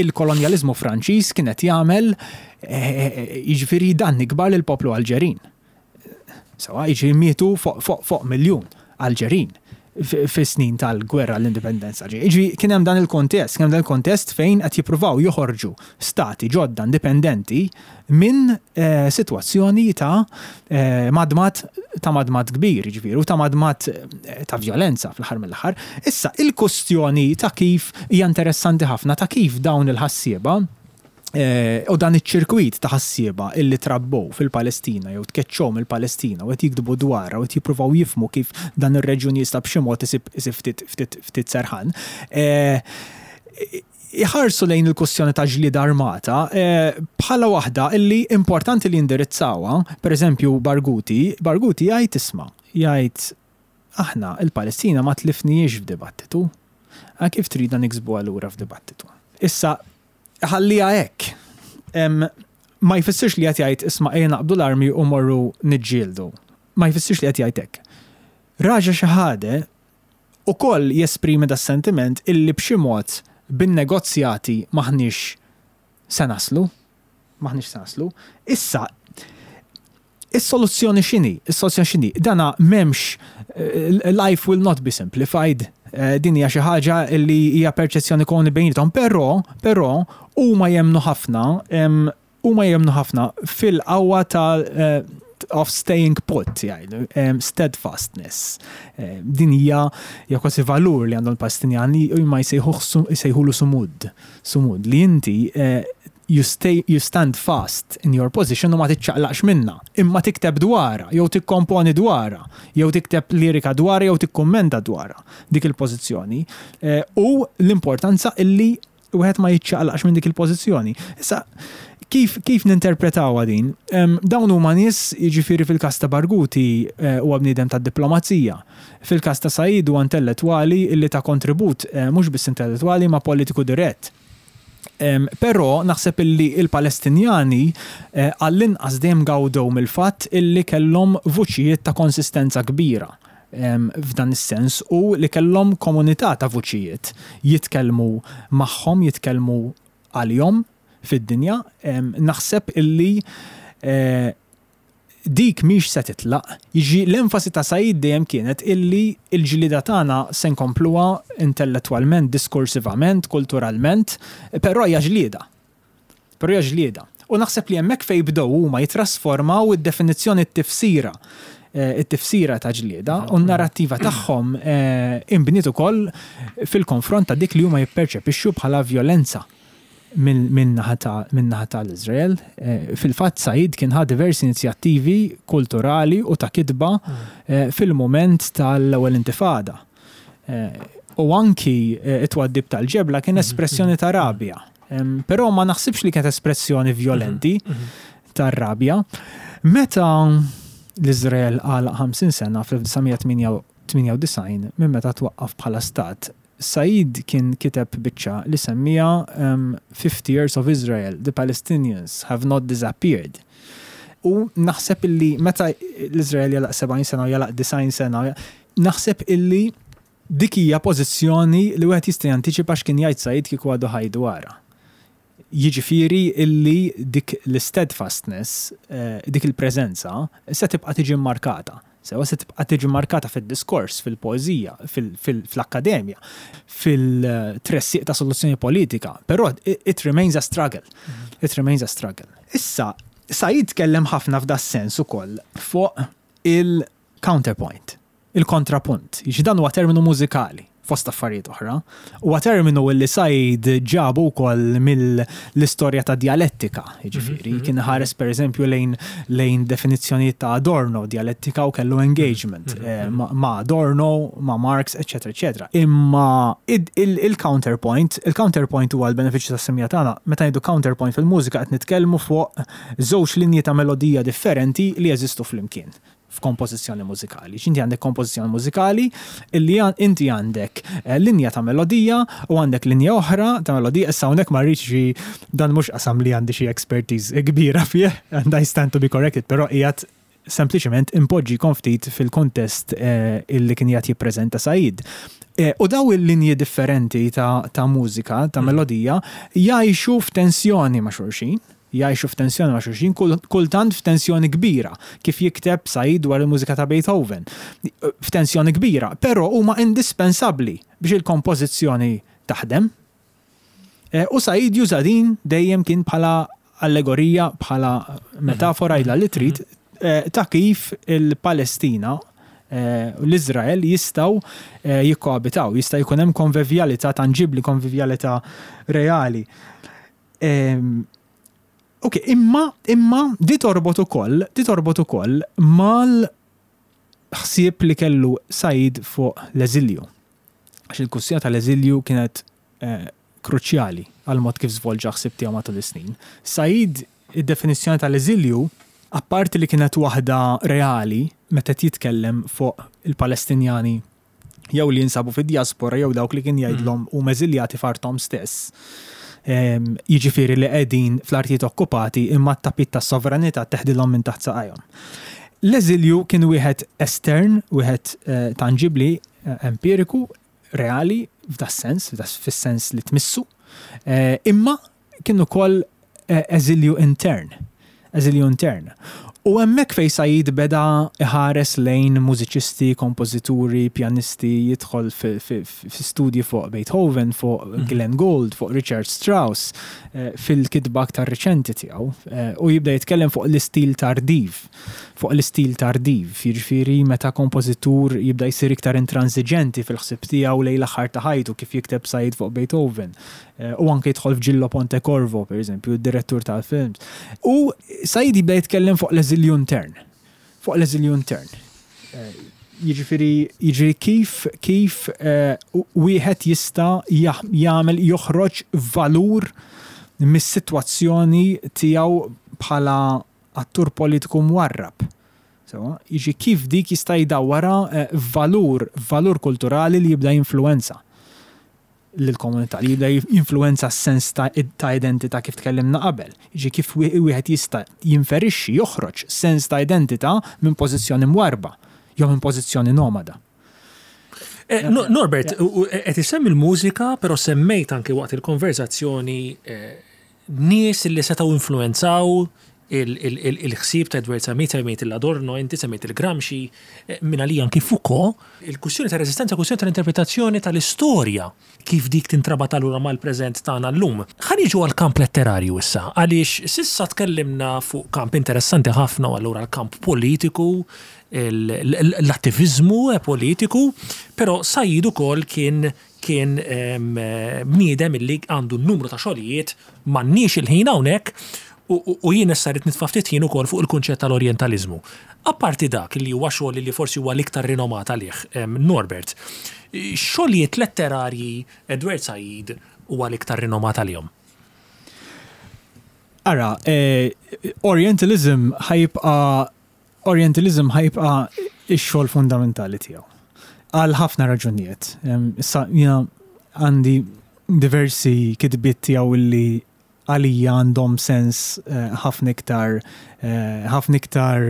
il-kolonjaliżmu Franċiż kien qed jagħmel jiġifieri danni kbar lill-poplu Alġerin. Sewwa, jiġifieri mietu fuq miljun Alġerin fis-snin tal-gwerra l-indipendenza. Jiġifieri kien hemm dan il-kontest, kien hemm dan il-kontest fejn qed jippruvaw joħorġu stati ġodda indipendenti minn sitwazzjoni ta' madmad ta' madmad kbir, jiġifieri, u ta' madmad ta' vjolenza fl-aħħar mill-aħħar. Issa, il-kustjoni ta' kif hija interessanti ħafna ta' kif dawn il-ħassieba u dan iċ-ċirkwit ta' ħassieba illi trabbew fil-Palestina jew tkeċċew mill-Palestina u qed jiktbu dwarha u qed jippruvaw jifhmu kif dan ir-reġjun jista' b'xi mod isib isib ftit ftit ftit serħan. Iħarsu lejn il-kwestjoni ta' ġlieda armata bħala waħda illi importanti li jindirizzawha, pereżempju Barghouti, Barghouti jgħid isma', jgħid aħna il-Palestina ma tlifnihiex f'dibattitu, kif tridna niksbuha lura f'dibattitu? Issa ħalliha hekk. Ma jfissirx li qed jgħid isma' ejja naqbdu l-armi u morru niġġieldu. Ma jfissirx li qed jgħid hekk. Raja Shehadeh ukoll jesprimi das-sentiment illi b'xi mod bin-negozjati m'aħniex se naslu. M'aħniex se naslu. Issa, is-soluzzjoni x'inhi? Is-soluzzjoni x'inhi? Dana m'hemmx life will not be simplified. Din hija xi ħaġa li hija perċezzjoni komuni bejniethom, però, però huma jemmnu ħafna Huma jemmnu ħafna fil-qawwa ta' of staying put, jgħidu, steadfastness. Din hija hija kważi valur li għandhom il-Palestinjani u ma jsejħulu sumud. Sumud li inti you stay you stand fast in your position u ma tiċċaqlaqx minnha, imma tikteb dwarha jew tikkomponi dwarha, jew tikteb lirika dwarha jew tikkummenta dwarha dik il-pożizzjoni. U l-importanza illi wieħed ma jiċċaqlaqx minn dik il-pożizzjoni. Issa, kif, kif ninterpretawha din? Dawn huma nies, jiġifieri fil-każ ta' Barghouti eh, huwa bniedem tad-diplomazija. Fil-każ ta' Said huwa intellettwali illi ta' kontribut eh, mhux biss intellettwali ma' politiku dirett. Però naħseb illi il-Palestinjani eh, għall-inqas dejjem gawdew mill-fatt illi kellhom vuċijiet ta' konsistenza kbira f'dan is-sens u li kellhom komunità ta' vuċijiet jitkellmu magħhom, jitkellmu għalihom fid-dinja, naħseb illi eh, dik mhix se titlaq. Jiġi l-enfasi ta' Said dejjem kienet illi l-ġlieda tagħna se nkompluha intellettwalment, diskursivament, kulturalment, però hija ġlieda. Però hija ġlieda. U naħseb li hemmhekk fejn bdew huma jittrasformaw id-definizzjoni t-tifsira it-tifsira ta' ġlieda u n-narrattiva tagħhom inbniet ukoll fil-konfront ta' dik li huma jipperċepixxu bħala vjolenza min-naħa tal-Iżrael. Fil-fatt Said kien ħa diversi inizjattivi kulturali u ta' kitba fil-mument tal-ewwel intifada. U anki t-twaddib tal-ġebla kien espressjoni ta' rabja. Però ma naħsibx li kienet espressjoni vjolenti tar-rabja. Meta l-Iżrael għalaq 50 sena fl-1998 minn meta twaqqaf bħala stat, Said kien kiteb biċċa li semmieha 50 Years of Israel, The Palestinians Have Not Disappeared. U naħseb illi meta l-Iżrael jagħlaq 70 sena u jagħlaq 90 sena, naħseb illi Dik hija pożizzjoni li wieħed jista' jantiċipa x'kien jgħid Said kieku għadu ħaj dwarha. Jiġifieri illi dik l-isteadfastness, dik il-preżenza, se tibqa' tiġi mmarkata. Sewwa se tibqa' tiġi mmarkata fid-diskors, fil-poeżija, fl-akkademja, fil-tressiq ta' soluzzjoni politika, però it remains a struggle. It remains a struggle. Issa, Said tkellem ħafna f'das-sens ukoll fuq il-counterpoint. Il-kontrapunt. Jiġi dan huwa terminu mużikali, fost affarijiet oħra. Huwa terminu li Said ġabu wkoll mill-istorja ta' djalettika, jiġifieri kien iħares pereżempju lejn lejn definizzjonijiet ta' Adorno, djalettika u kellu engagement ma' Adorno, ma' Marx, eċċetera eċċetera. Imma il-counterpoint, il-counterpoint huwa l-benefiċċju tas-semija tagħna, meta ngħidu counterpoint fil-mużika qed nitkellmu fuq żewġ linji ta' melodija differenti li jeżistu flimkien. f'kompożizzjoni mużikali. Inti għandek kompożizzjoni mużikali illi inti għandek eh, linja ta' melodija u għandek linja oħra ta' melodija. Issa hawnhekk ma rridx xi dan mhux qasam li għandi xi expertise kbira fih and I stand to be corrected, però qiegħed sempliċement impoġġikom ftit fil-kontest eh, illi kien qiegħed jippreżenta Said. Eh, u daw il-linji differenti ta', ta mużika, ta' mm. melodija, jgħixu f'tensjoni ma' xulxin jgħixu f'tensjoni ma' xulxin, kultant f'tensjoni kbira, kif jikteb Said dwar il-mużika ta' Beethoven. F'tensjoni kbira, però huma indispensabbli biex il-kompożizzjoni taħdem. Eh, u Said juża din dejjem kien bħala allegorija, bħala metafora ila li trid, eh, ta' kif il-Palestina eh, u l-Izrael jistgħu jikkoabitaw, jista' jkun hemm konvivjalità tanġibli, konvivjalità reali. Ok, imma, imma di torbot ukoll, di torbot ukoll mal ħsieb li kellu Said fuq l-eżilju. Għax il-kwistjoni tal-eżilju kienet eh, kruċjali għal mod kif żvolġa ħsieb tiegħu matul is-snin. Said id-definizzjoni tal-eżilju, apparti li kienet waħda reali meta jitkellem fuq il-Palestinjani jew li jinsabu fid-diaspora jew dawk li kien jgħidlhom mm. huma eżiljati f'arthom stess. Ehm, jiġifieri li qegħdin fl-artijiet okkupati imma t-tapit tas-sovranità teħdilhom minn taħt saqajhom. L-eżilju kien wieħed estern, wieħed eh, tanġibli, eh, empiriku, reali, f'das-sens, fis-sens li tmissu, eh, imma kien ukoll eżilju intern. Eżilju intern. U hemmhekk fejn Said beda iħares lejn mużiċisti, kompożituri, pjanisti, jidħol fi studji fuq Beethoven, fuq mhm. Glenn Gould, fuq Richard Strauss, eh, fil-kitba aktar riċenti tiegħu, eh, u jibda jitkellem fuq l-istil tardiv, fuq l-istil tardiv, jiġifieri meta kompożitur jibda jsir iktar intransiġenti fil-ħsieb tiegħu lejn l-aħħar ta' ħajtu kif jikteb Said fuq Beethoven. Eh, u anke jidħol f'Gillo Pontecorvo, per eżempju, direttur tal-films. U Said jibda jitkellem fuq l-eżilju intern. Fuq l-eżilju intern. Eh, jiġifieri jiġifieri kif kif eh, wieħed jista' jagħmel joħroġ valur mis-sitwazzjoni tiegħu bħala attur politiku mwarrab. Sewa, jiġi kif dik jista' jdawwarha valur, valur kulturali li jibda jinfluwenza. lill-komunità li jibda jinfluwenza s-sens ta' identità kif tkellimna qabel. Jiġifieri kif wieħed jista' jinferixxi, joħroġ sens ta' identità minn pożizzjoni mwarrba jew minn pożizzjoni nomada. Eh, Norbert, qed isemmi l-mużika, però semmejt anke waqt il-konverzazzjoni eh, nies li setgħu influwenzaw il-ħsieb ta' Edward Said, semmejt l-Adorno, inti semmejt il-Gramsci, eh, minn għalija anki Foucault, il-kwistjoni ta' reżistenza, kwistjoni tal-interpretazzjoni tal-istorja, kif dik tintrabat allura mal-preżent tagħna llum. Ħa niġu għall-kamp letterarju issa, għaliex s'issa tkellimna fuq kamp interessanti ħafna u allura l-kamp politiku, l-attiviżmu politiku, però Said ukoll kien Kien bniedem illi għandu numru ta' xogħlijiet, m'għandniex il-ħin hawnhekk, u jien issa rrid nitfa' ftit ħin ukoll fuq il-kunċett tal-orjentaliżmu. Apparti dak li huwa xogħol li forsi huwa l-iktar rinomat għalih, Norbert, x'xogħlijiet letterarji Edward Said huwa l-iktar rinomat għalihom? Ara, Orientalism ħa jibqa' Orientalism ħa jibqa' x-xogħol fundamentali tiegħu. Għal ħafna raġunijiet. Issa jiena għandi diversi kitbiet tiegħu li għalija għandhom sens eh, ħafna iktar eh, ħafna iktar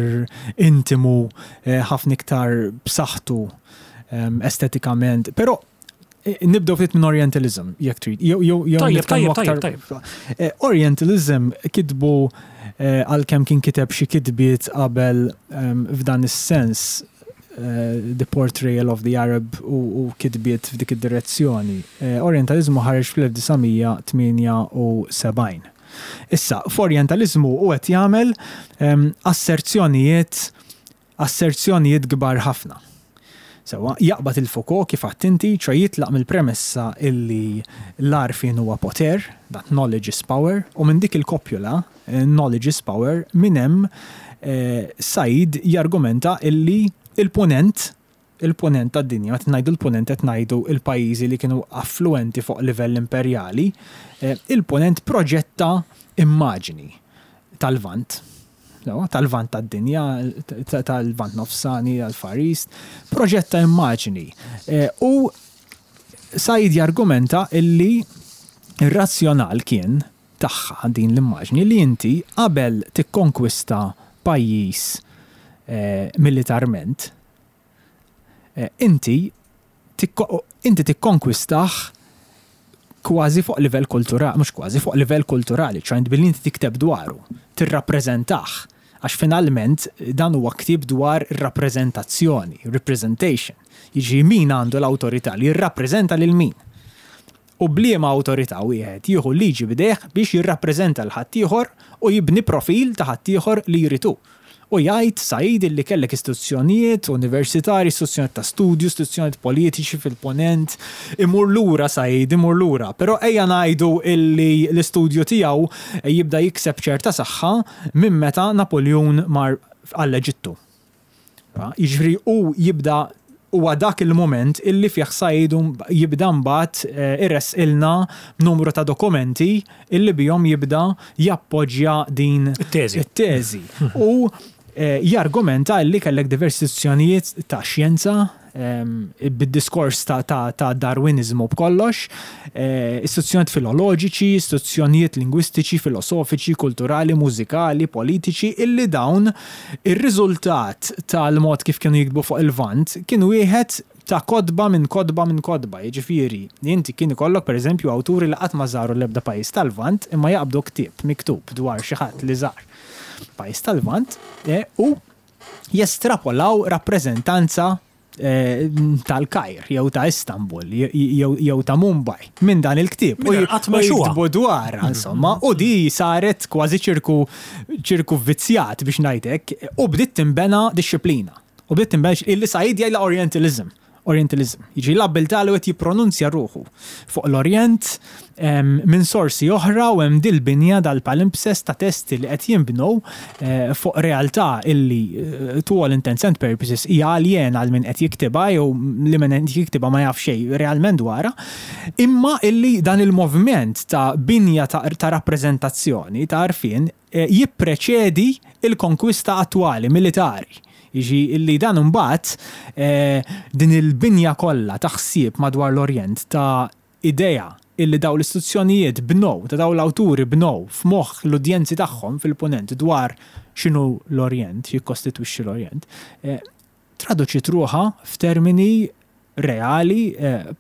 intimu, eh, ħafna iktar b'saħħtu estetikament. Però Nibdew ftit minn Orientalism, jekk trid. Jew jew jew Tajjeb, tajjeb, tajjeb, tajjeb. Eh, Orientalism kitbu eh, għalkemm kien kiteb xi kitbiet qabel ehm, f'dan is-sens eh, The Portrayal of the Arab u kitbiet f'dik id-direzzjoni. Orientalismu ħareġ fl-1978. Issa, f'Orientalismu u qed jagħmel ehm, asserzjonijiet asserzjonijiet kbar ħafna. Sewwa, jaqbad il-Foucault kif għedt inti, ċo jitlaq mill-premessa illi l-għarfien huwa poter, that knowledge is power, u minn dik il-kopjula, knowledge is power, minn hemm Said jargumenta illi il-Punent, il-Punent tad-dinja, meta ngħidu l-Punent qed ngħidu l-pajjiżi li kienu affluenti fuq livell imperjali, il-Punent proġetta immaġni tal-Lvant. tal-Lvant tad-dinja, tal-Lvant Nofsani, tal-Far East, proġett ta' immaġni. U Said jargumenta illi r-razzjonal kien tagħha din l-immaġni li inti qabel tikkonkwista pajjiż militarment, inti inti tikkonkwistah kważi fuq livell kulturali, mhux kważi, fuq livell kulturali, ċoħe billi inti tikteb dwaru, tirrappreżentah, għax finalment dan huwa ktieb dwar ir-rappreżentazzjoni, representation, jiġifieri min għandu l-awtorità li jirrappreżenta lil min. U b'liema awtorità wieħed jieħu l-liġi b'idejh biex jirrappreżenta 'l ħaddieħor u jibni profil ta' ħaddieħor li jrid hu. U jgħid Said illi kellek istituzzjonijiet universitarji, istituzzjonijiet ta' studju, istituzzjonijiet politiċi fil-Punent. Imur lura Said, imur lura. Però ejja ngħidu illi l-istudju tiegħu jibda jikseb ċerta saħħa minn meta Napuljun mar għall-Eġittu. Jiġifieri hu jibda huwa dak il-mument illi fih Said jibda mbagħad iressqilna numru ta' dokumenti illi bihom jibda jappoġġja din it-teżi. It-teżi. U jargumenta illi kellek diversi istituzzjonijiet ta' xjenza bid-diskors ta' Darwiniżmu b'kollox, istituzzjonijiet filoloġiċi, istituzzjonijiet lingwistiċi, filosofiċi, kulturali, mużikali, politiċi, illi dawn ir-riżultat tal-mod kif kienu jiktbu fuq il-Lvant kien wieħed ta' kotba minn kotba minn kotba, jiġifieri li inti kien ikollok pereżempju awturi li qatt ma żaru l-ebda pajjiż tal-Lvant imma jaqbdu ktieb miktub dwar xi ħadd li żar pajjiż tal-Lvant u jestrapolaw rappreżentanza tal-Kajr jew ta' Istanbul jew ta' Mumbai minn dan il-ktieb u jiktbu dwarha insomma u di saret kważi ċirku ċirku vvizzjat biex ngħid hekk u bdiet tinbena dixxiplina. U bdiet tinbena illi Said jgħidilha Orientalism. Orientalism. Jiġifieri l-abbiltà li wieħed jippronunzja ruħu fuq l-Orjent minn sorsi oħra u hemm dil-binja dal-palimpsest ta' testi li qed jinbnew fuq realtà illi to all intents and purposes hija aljena għal min qed jiktibha jew li min qed jiktibha ma jaf xejn realment dwarha, imma illi dan il-moviment ta' binja ta' rappreżentazzjoni, ta' għarfien, jippreċedi l-konkwista attwali militari. Jiġi li dan imbagħad din il-binja kollha ta' ħsieb madwar l-Orjent ta' idea illi dawn l-istituzzjonijiet bnew, ta' dawn l-awturi bnew f'moħħ l-udjenzi tagħhom fil-Punent dwar x'inhu l-Orjent, x'jikkostitwixxi l-Orjent, traduċiet ruħha f'termini reali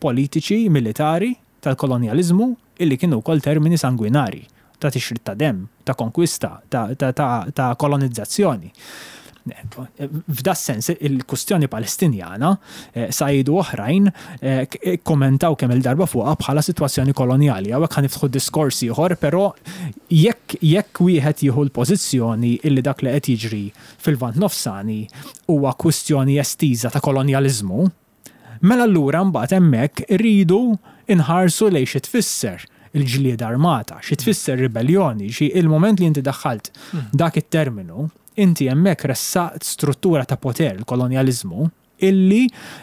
politiċi, militari tal-kolonjaliżmu illi kienu wkoll termini sangwinarji, ta' tixrid ta' demm, ta' konkwista, ta' kolonizzazzjoni. F'das-sens il-kustjoni Palestinjana, Said u oħrajn ikkummentaw kemm-il darba fuqha bħala sitwazzjoni kolonjali. Hawnhekk ħa niftħu diskors ieħor, però jekk jekk wieħed jieħu l-pożizzjoni illi dak li qed jiġri fil-Lvant Nofsani huwa kwistjoni estiża ta' kolonjaliżmu, Mela allura mbagħad hemmhekk irridu nħarsu lejn xi tfisser il-ġlieda armata, xi tfisser ribelljoni, xi il-mument li inti daħħalt dak it-terminu, inti hemmhekk ressaqt struttura ta' poter, il-kolonjaliżmu, illi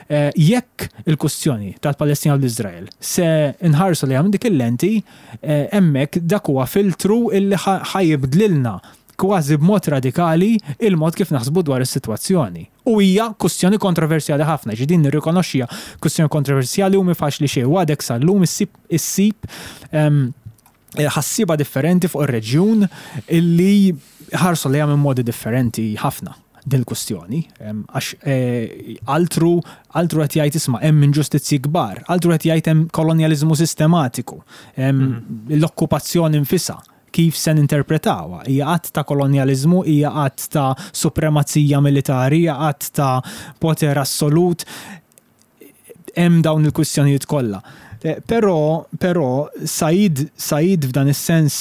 jekk il-kustjoni tal-Palestina u l-Iżrael se nħarsu lejha minn dik il-lenti, hemmhekk dak huwa filtru illi ħa jibdlilna kważi b'mod radikali il-mod kif naħsbu dwar is-sitwazzjoni. U hija kustjoni kontroversjali ħafna, ġi din nirrikonoxxiha, kustjoni kontroversjali u mhi faċli xejn. U għadek sal-lum issib issib ehm, ħassieba differenti fuq ir-reġjun illi ħarsu lejha minn modi differenti ħafna din il-kustjoni. Ehm, għax eh, altru altru qed jgħid isma' hemm inġustizzji kbar, altru qed jgħid hemm kolonjaliżmu sistematiku, ehm, mhm. l-okkupazzjoni nfisha Kif se ninterpretawha? Hija att ta' kolonjaliżmu, hija att ta' supremazija militari, hija att ta' poter assolut? Hemm dawn il-kwistjonijiet kollha. Però, però, Said, Said f'dan is-sens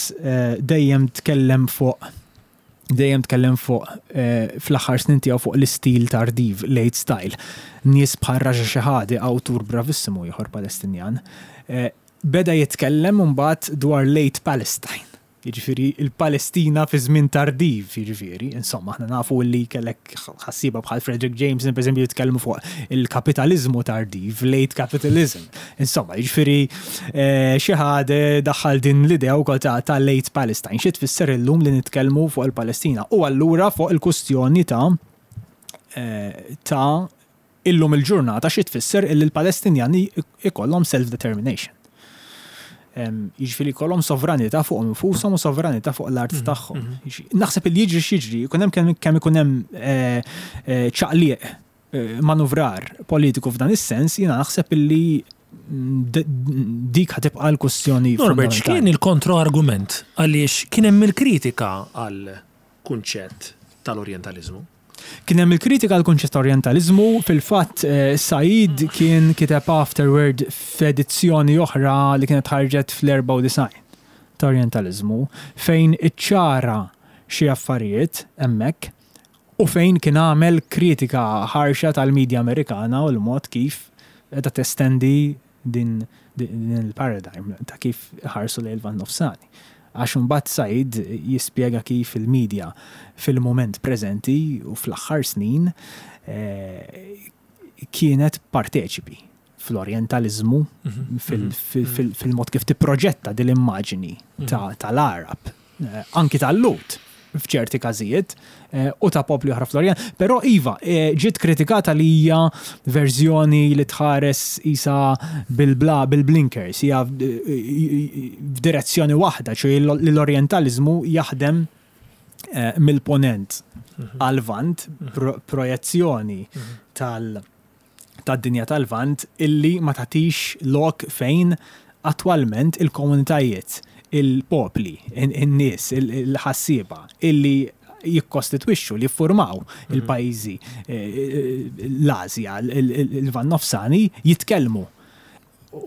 dejjem tkellem fuq. Dejjem tkellem fuq fl-aħħar snin tiegħu fuq l-istil tardiv, late style. Nies bħal Raja Shehade, awtur bravissimu ieħor Palestinjan, beda jitkellem imbagħad dwar late Palestine. Jiġifieri l-Palestina fi żmien tardiv, jiġifieri, insomma, aħna nafu li kellek ħassieba bħal Fredric Jameson, pereżempju, jitkellmu fuq il-kapitaliżmu tardiv, late capitalism. Insomma, jiġifieri Shehade daħħal din l-idea wkoll ta' ta' late Palestine. Xi tfisser illum li nitkellmu fuq il-Palestina? U allura fuq il-kustjoni ta' ta' illum il-ġurnata xi tfisser illi l-Palestinjani ikollhom self-determination. Jiġifieri jkollhom sovranità fuqhom infushom u sovranità fuq l-art tagħhom. Naħseb illi jiġri x'jiġri, ikun hemm kemm ikun hemm ċaqliq manuvrar politiku f'dan is-sens, jiena naħseb illi dik ħa tibqa' l-kwestjoni. Norbert, x'kien il-kontroargument għaliex kien hemm il-kritika għall-kunċett tal-Orjentaliżmu? Kien hemm il-kritika għall-kunċett ta' Orjentaliżmu, fil-fatt Said kien kiteb afterword f'edizzjoni oħra li kienet ħarġet fl-94 ta' Orjentaliżmu fejn iċċara xi affarijiet hemmhekk u fejn kien għamel kritika ħarxa tal-media Amerikana u l-mod kif qiegħda testendi din il-paradigm ta' kif iħarsu lejn il-Lvant Nofsani. Għax imbagħad Said jispjega kif il-media fil-mument preżenti u fl-aħħar snin kienet parteċipi fl-orjentaliżmu, fil-mod kif tipproġetta din l-immaġini tal-Għarab anki tal-Lhud f'ċerti każijiet, u ta' popli oħra fl-Orjent. Però iva, ġiet kritikata li hija verżjoni li tħares isa bil-bla bil-blinkers, hija f'direzzjoni waħda, ċoe li l-Orjentaliżmu jaħdem mill-Ponent għal-Lvant, projezzjoni tal- tad-dinja tal-Lvant illi ma tagħtix lok fejn attwalment il-komunitajiet, il-popli, in-nies, il-ħassieba illi jikkostitwixxu, li jiffurmaw il-pajjiżi l-Asja, il-Lvant Nofsani jitkellmu.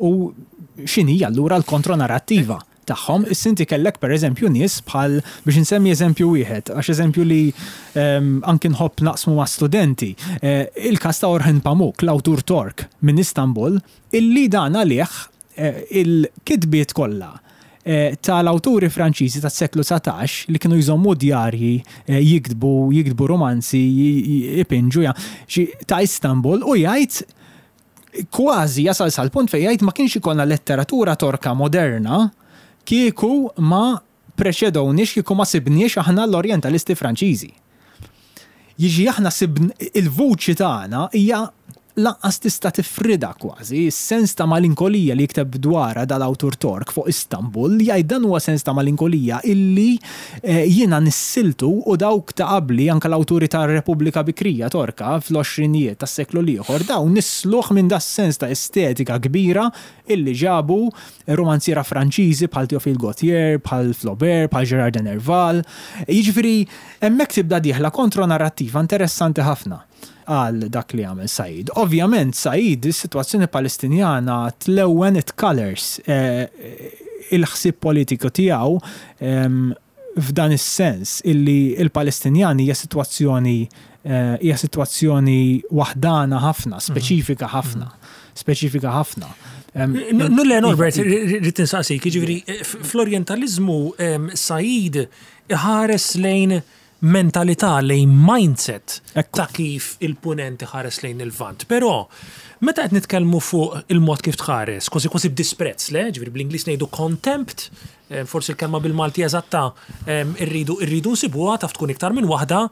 U x'inhi allura l-kontronarrattiva tagħhom? Issa inti kellek pereżempju nies bħal, biex insemmi eżempju wieħed, għax eżempju li anki nħobb naqsmu ma' studenti, il-każ ta' Orhan Pamuk, l-awtur Tork minn Istanbul, illi dan għalih il-kitbiet kollha tal-awturi Franċiżi tas-seklu 19 li kienu jżommu djarji, jiktbu, jiktbu rumanzi, ipinġu, ta' Istanbul u jgħid kważi jasal sal-punt fejn jgħid ma kienx ikollna letteratura Torka moderna kieku ma preċedewniex, kieku ma sibniex aħna l-Orjentalisti Franċiżi. Jiġi aħna sibn il-vuċi tagħna hija lanqas tista' tifridha kważi, is-sens ta' malinkolija li jikteb dwarha dal-awtur Tork fuq Istanbul, jgħid dan huwa sens ta' malinkolija illi Jiena nissiltu u dawk ta' qabli, anke l-awturi tar-Repubblika Bikrija Torka fl-għoxrinijiet tas-seklu l-ieħor, dawn nissluh minn das-sens ta' estetika kbira illi ġabu rumanziera Franċiżi bħal Théophile Gautier, bħal Flaubert, bħal Gérard de Nerval. Jiġifieri hemmhekk tibda dieħla kontronarrattiva interessanti ħafna għal dak li għamel Said. Ovvjament Said, is-sitwazzjoni Palestinjana tlewwen it colours il-ħsieb politiku tiegħu f'dan is-sens illi l-Palestinjani hija sitwazzjoni hija sitwazzjoni waħdana ħafna, speċifika ħafna, speċifika ħafna. Nulle Norbert, rrid insaqsik, jiġifieri fl-Orjentaliżmu Said iħares lejn mentalità, lejn mindset ta' kif il-Punent iħares lejn il-Lvant. Però, meta qed nitkellmu fuq il-mod kif tħares, kważi kważi b'disprezz, le? Ġifieri bl-Ingliż ngħidu contempt, forsi l-kelma bil-Malti eżatta rridu rridu nsibuha, taf tkun iktar minn waħda,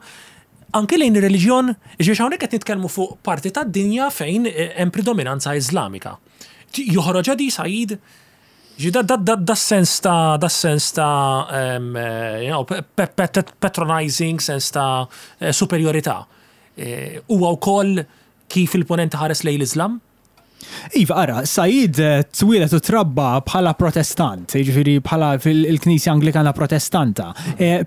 anke lejn ir-reliġjon, ġifieri hawnhekk qed nitkellmu fuq parti tad-dinja fejn hemm predominanza Iżlamika. Joħroġha di Said? Ġi da da da da sens ta' da sens ta' you know, patronizing, sens ta' superjorità. Huwa wkoll kif il-Punent iħares lejn l-Iżlam? Iva, ara, Said twieled u trabba bħala protestant, jiġifieri bħala fil-Knisja Anglikana Protestanta,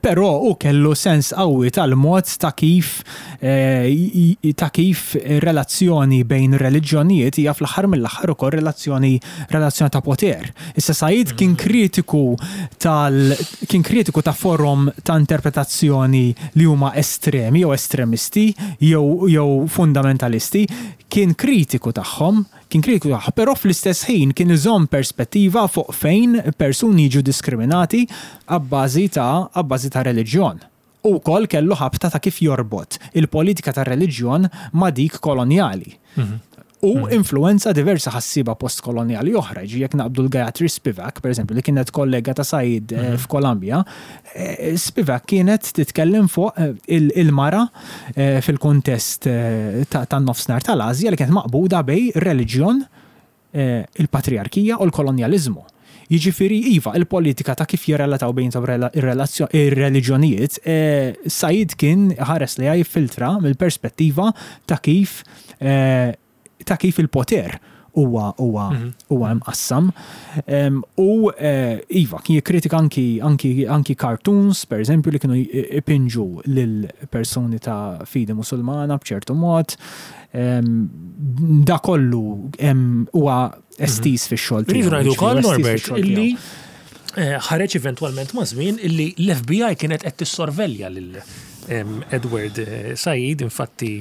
però hu kellu sens qawwi tal-mod ta' kif ta' kif ir-relazzjoni bejn ir-reliġjonijiet hija fl-aħħar mill-aħħar ukoll relazzjoni relazzjoni ta' poter. Issa Said kien kritiku tal kien kritiku ta' forom ta' interpretazzjoni li huma estremi jew estremisti jew jew fundamentalisti, kien kritiku tagħhom, kien kritiku tagħhom, però fl-istess ħin kien iżomm perspettiva fuq fejn persuni jiġu diskriminati abbażi ta' abbażi ta' reliġjon. Hu wkoll kellu ħabta ta' kif jorbot il-politika tar-reliġjon ma' dik kolonjali. U influwenza diversi ħassieba postkolonjali oħra, jiġifieri jekk naqbdu l-Gayatri Spivak, pereżempju, li kienet kollega ta' Said f'Columbia, Spivak kienet titkellem fuq il-mara fil-kuntest tan-Nofsinhar tal-Asja li kienet maqbuda bejn ir-reliġjon, il-patrijarkija u l-kolonjaliżmu. Jiġifieri, iva, il-politika ta' kif jirrelataw bejniethom ir-reliġjonijiet, Said kien iħares lejha jiffiltra mill-perspettiva ta' kif ta' kif il-poter huwa huwa huwa imqassam. U iva, kien jikkritika anki anki anki cartoons, per eżempju, li kienu ipinġu lil persuni ta' fidi Musulmana b'ċertu mod. Da kollu huwa estiż fix-xogħol tiegħu. Rridu ngħidu wkoll Norbert illi ħareġ eventwalment ma' żmien illi l-FBI kienet qed tissorvelja lil Edward Said, infatti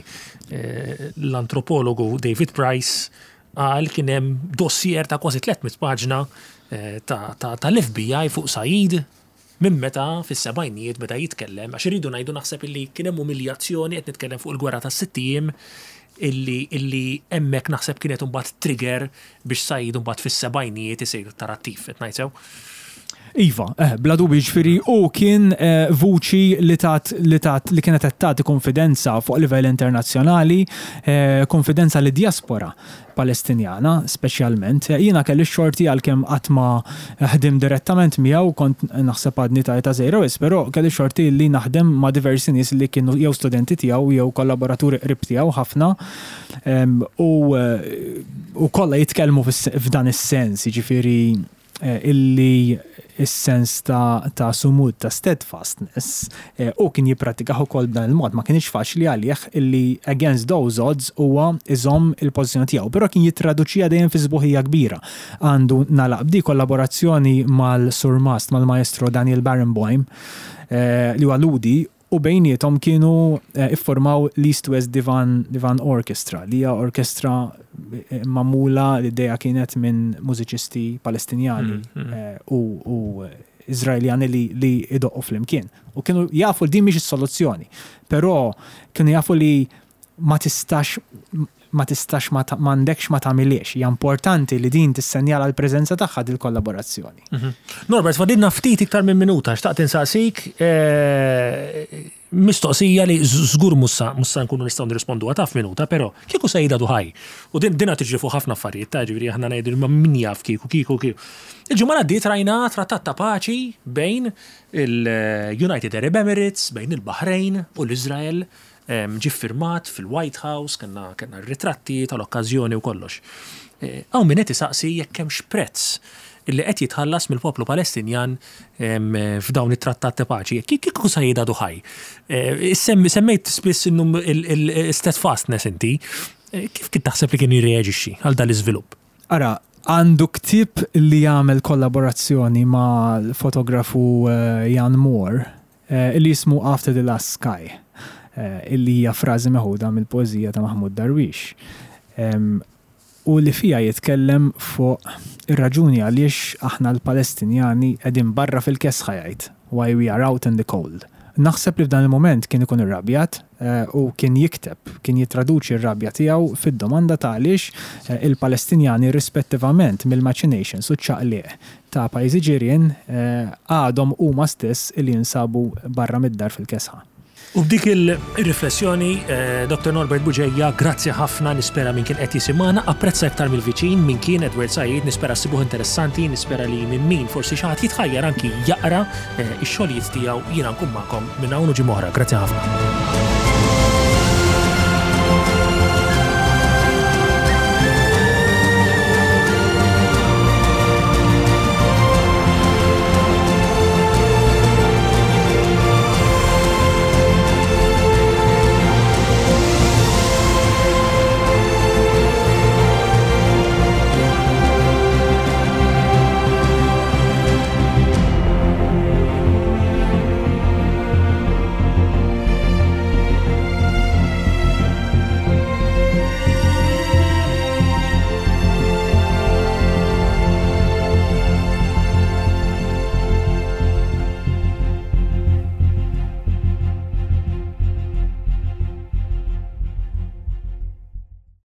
l-antropologu David Price qal kien hemm dossier ta' kważi 300 paġna tal-FBI fuq Said minn meta fis-sebgħinijiet beda jitkellem, għax irridu ngħidu naħseb illi kien hemm umiljazzjoni qed nitkellem fuq il-gwerra tas-sitt ijiem illi illi hemmhekk naħseb kienet imbagħad trigger biex Said imbagħad fis-sebgħinijiet isir iktar attiv, qed ngħid sew? Iva, eh, bla dubju, ġifieri hu kien eh, vuċi li tat li tat li kienet qed tagħti konfidenza fuq livell internazzjonali, eh, konfidenza lid diaspora Palestinjana speċjalment. Jiena kelli x-xorti għalkemm qatt ma ħdimt direttament miegħu, kont naħseb għadni ta' età żgħira wisq, però kelli x-xorti li naħdem ma' diversi nies li kienu jew studenti tiegħu jew kollaboraturi qrib tiegħu ħafna u u kollha jitkellmu f'dan is-sens, jiġifieri illi s-sens ta' ta' sumud, ta' steadfastness, hu kien jipprattikah ukoll b'dan il-mod. Ma kinitx faċli għalih illi against those odds huwa jżomm il-pożizzjoni tiegħu, però kien jittraduċiha dejjem fi sbuħija kbira. Għandu nagħlaq b'di kollaborazzjoni mal-Surmast, mal-Maestro Daniel Barenboim, li huwa Lhudi, u bejniethom kienu iffurmaw l-East West Divan Divan Orchestra, li hija orkestra magħmula l-idea kienet minn mużiċisti Palestinjani u u Iżraeljani li li jdoqqu flimkien. U kienu jafu li din mhix is-soluzzjoni, però kienu jafu li ma tistax ma tistax ma m'għandekx ma tagħmilhiex. Hija importanti li din tissenjala l-preżenza tagħha dil-kollaborazzjoni. Mhm. Norbert, fadilna ftit iktar minn minuta, xtaqt insaqsik eh, mistoqsija li żgur mussa mussa nkunu nistgħu nirrisponduha taf minuta, però kieku sejda duħaj. U din dinha tiġri fuq ħafna affarijiet, ta' ġifieri aħna ngħidu ma min jaf kieku kieku kieku. Il-ġimgħa għaddiet rajna trattat ta' paċi bejn il-United Arab Emirates, bejn il-Baħrejn u l-Iżrael Ġie ffirmat fil-White House, kellna kellna r-ritratti tal-okkażjoni u kollox. Hawn min qed isaqsi jekk hemmx prezz li qed jitħallas mill-poplu Palestinjan f'dawn it-trattat ta' paċi. Kieku Said għadu ħaj. Semmejt spiss il-steadfastness inti. Kif kien taħseb li kien jirreaġixxi għal dan l-iżvilupp? Ara, għandu ktieb li jagħmel kollaborazzjoni mal-fotografu Jan Moore Illi jismu After the Last Sky, illi hija frażi meħuda mill-poeżija ta' Mahmoud Darwish, u li fiha jitkellem fuq ir-raġuni għaliex aħna l-Palestinjani qegħdin barra fil-kesħa jgħid, why we are out in the cold. Naħseb li f'dan il-mument kien ikun irrabjat u kien jikteb, kien jittraduċi r-rabja tiegħu fid-domanda ta' għaliex il-Palestinjani rispettivament mill-machinations u ċ-ċaqliq ta' pajjiżi ġirien għadhom huma stess li jinsabu barra mid-dar fil-kesħa. U b'dik il-riflessjoni, Dottor Norbert Bugeja, grazzi ħafna, nispera min kien qed jisimgħana apprezza iktar mill-viċin min kien Edward Said, nispera ssibuh interessanti, nispera li minn min forsi xi ħadd jitħajjar anki jaqra x-xogħlijiet tiegħu, jiena nkun magħkom minn hawn u ġimgħa oħra. Grazzi ħafna.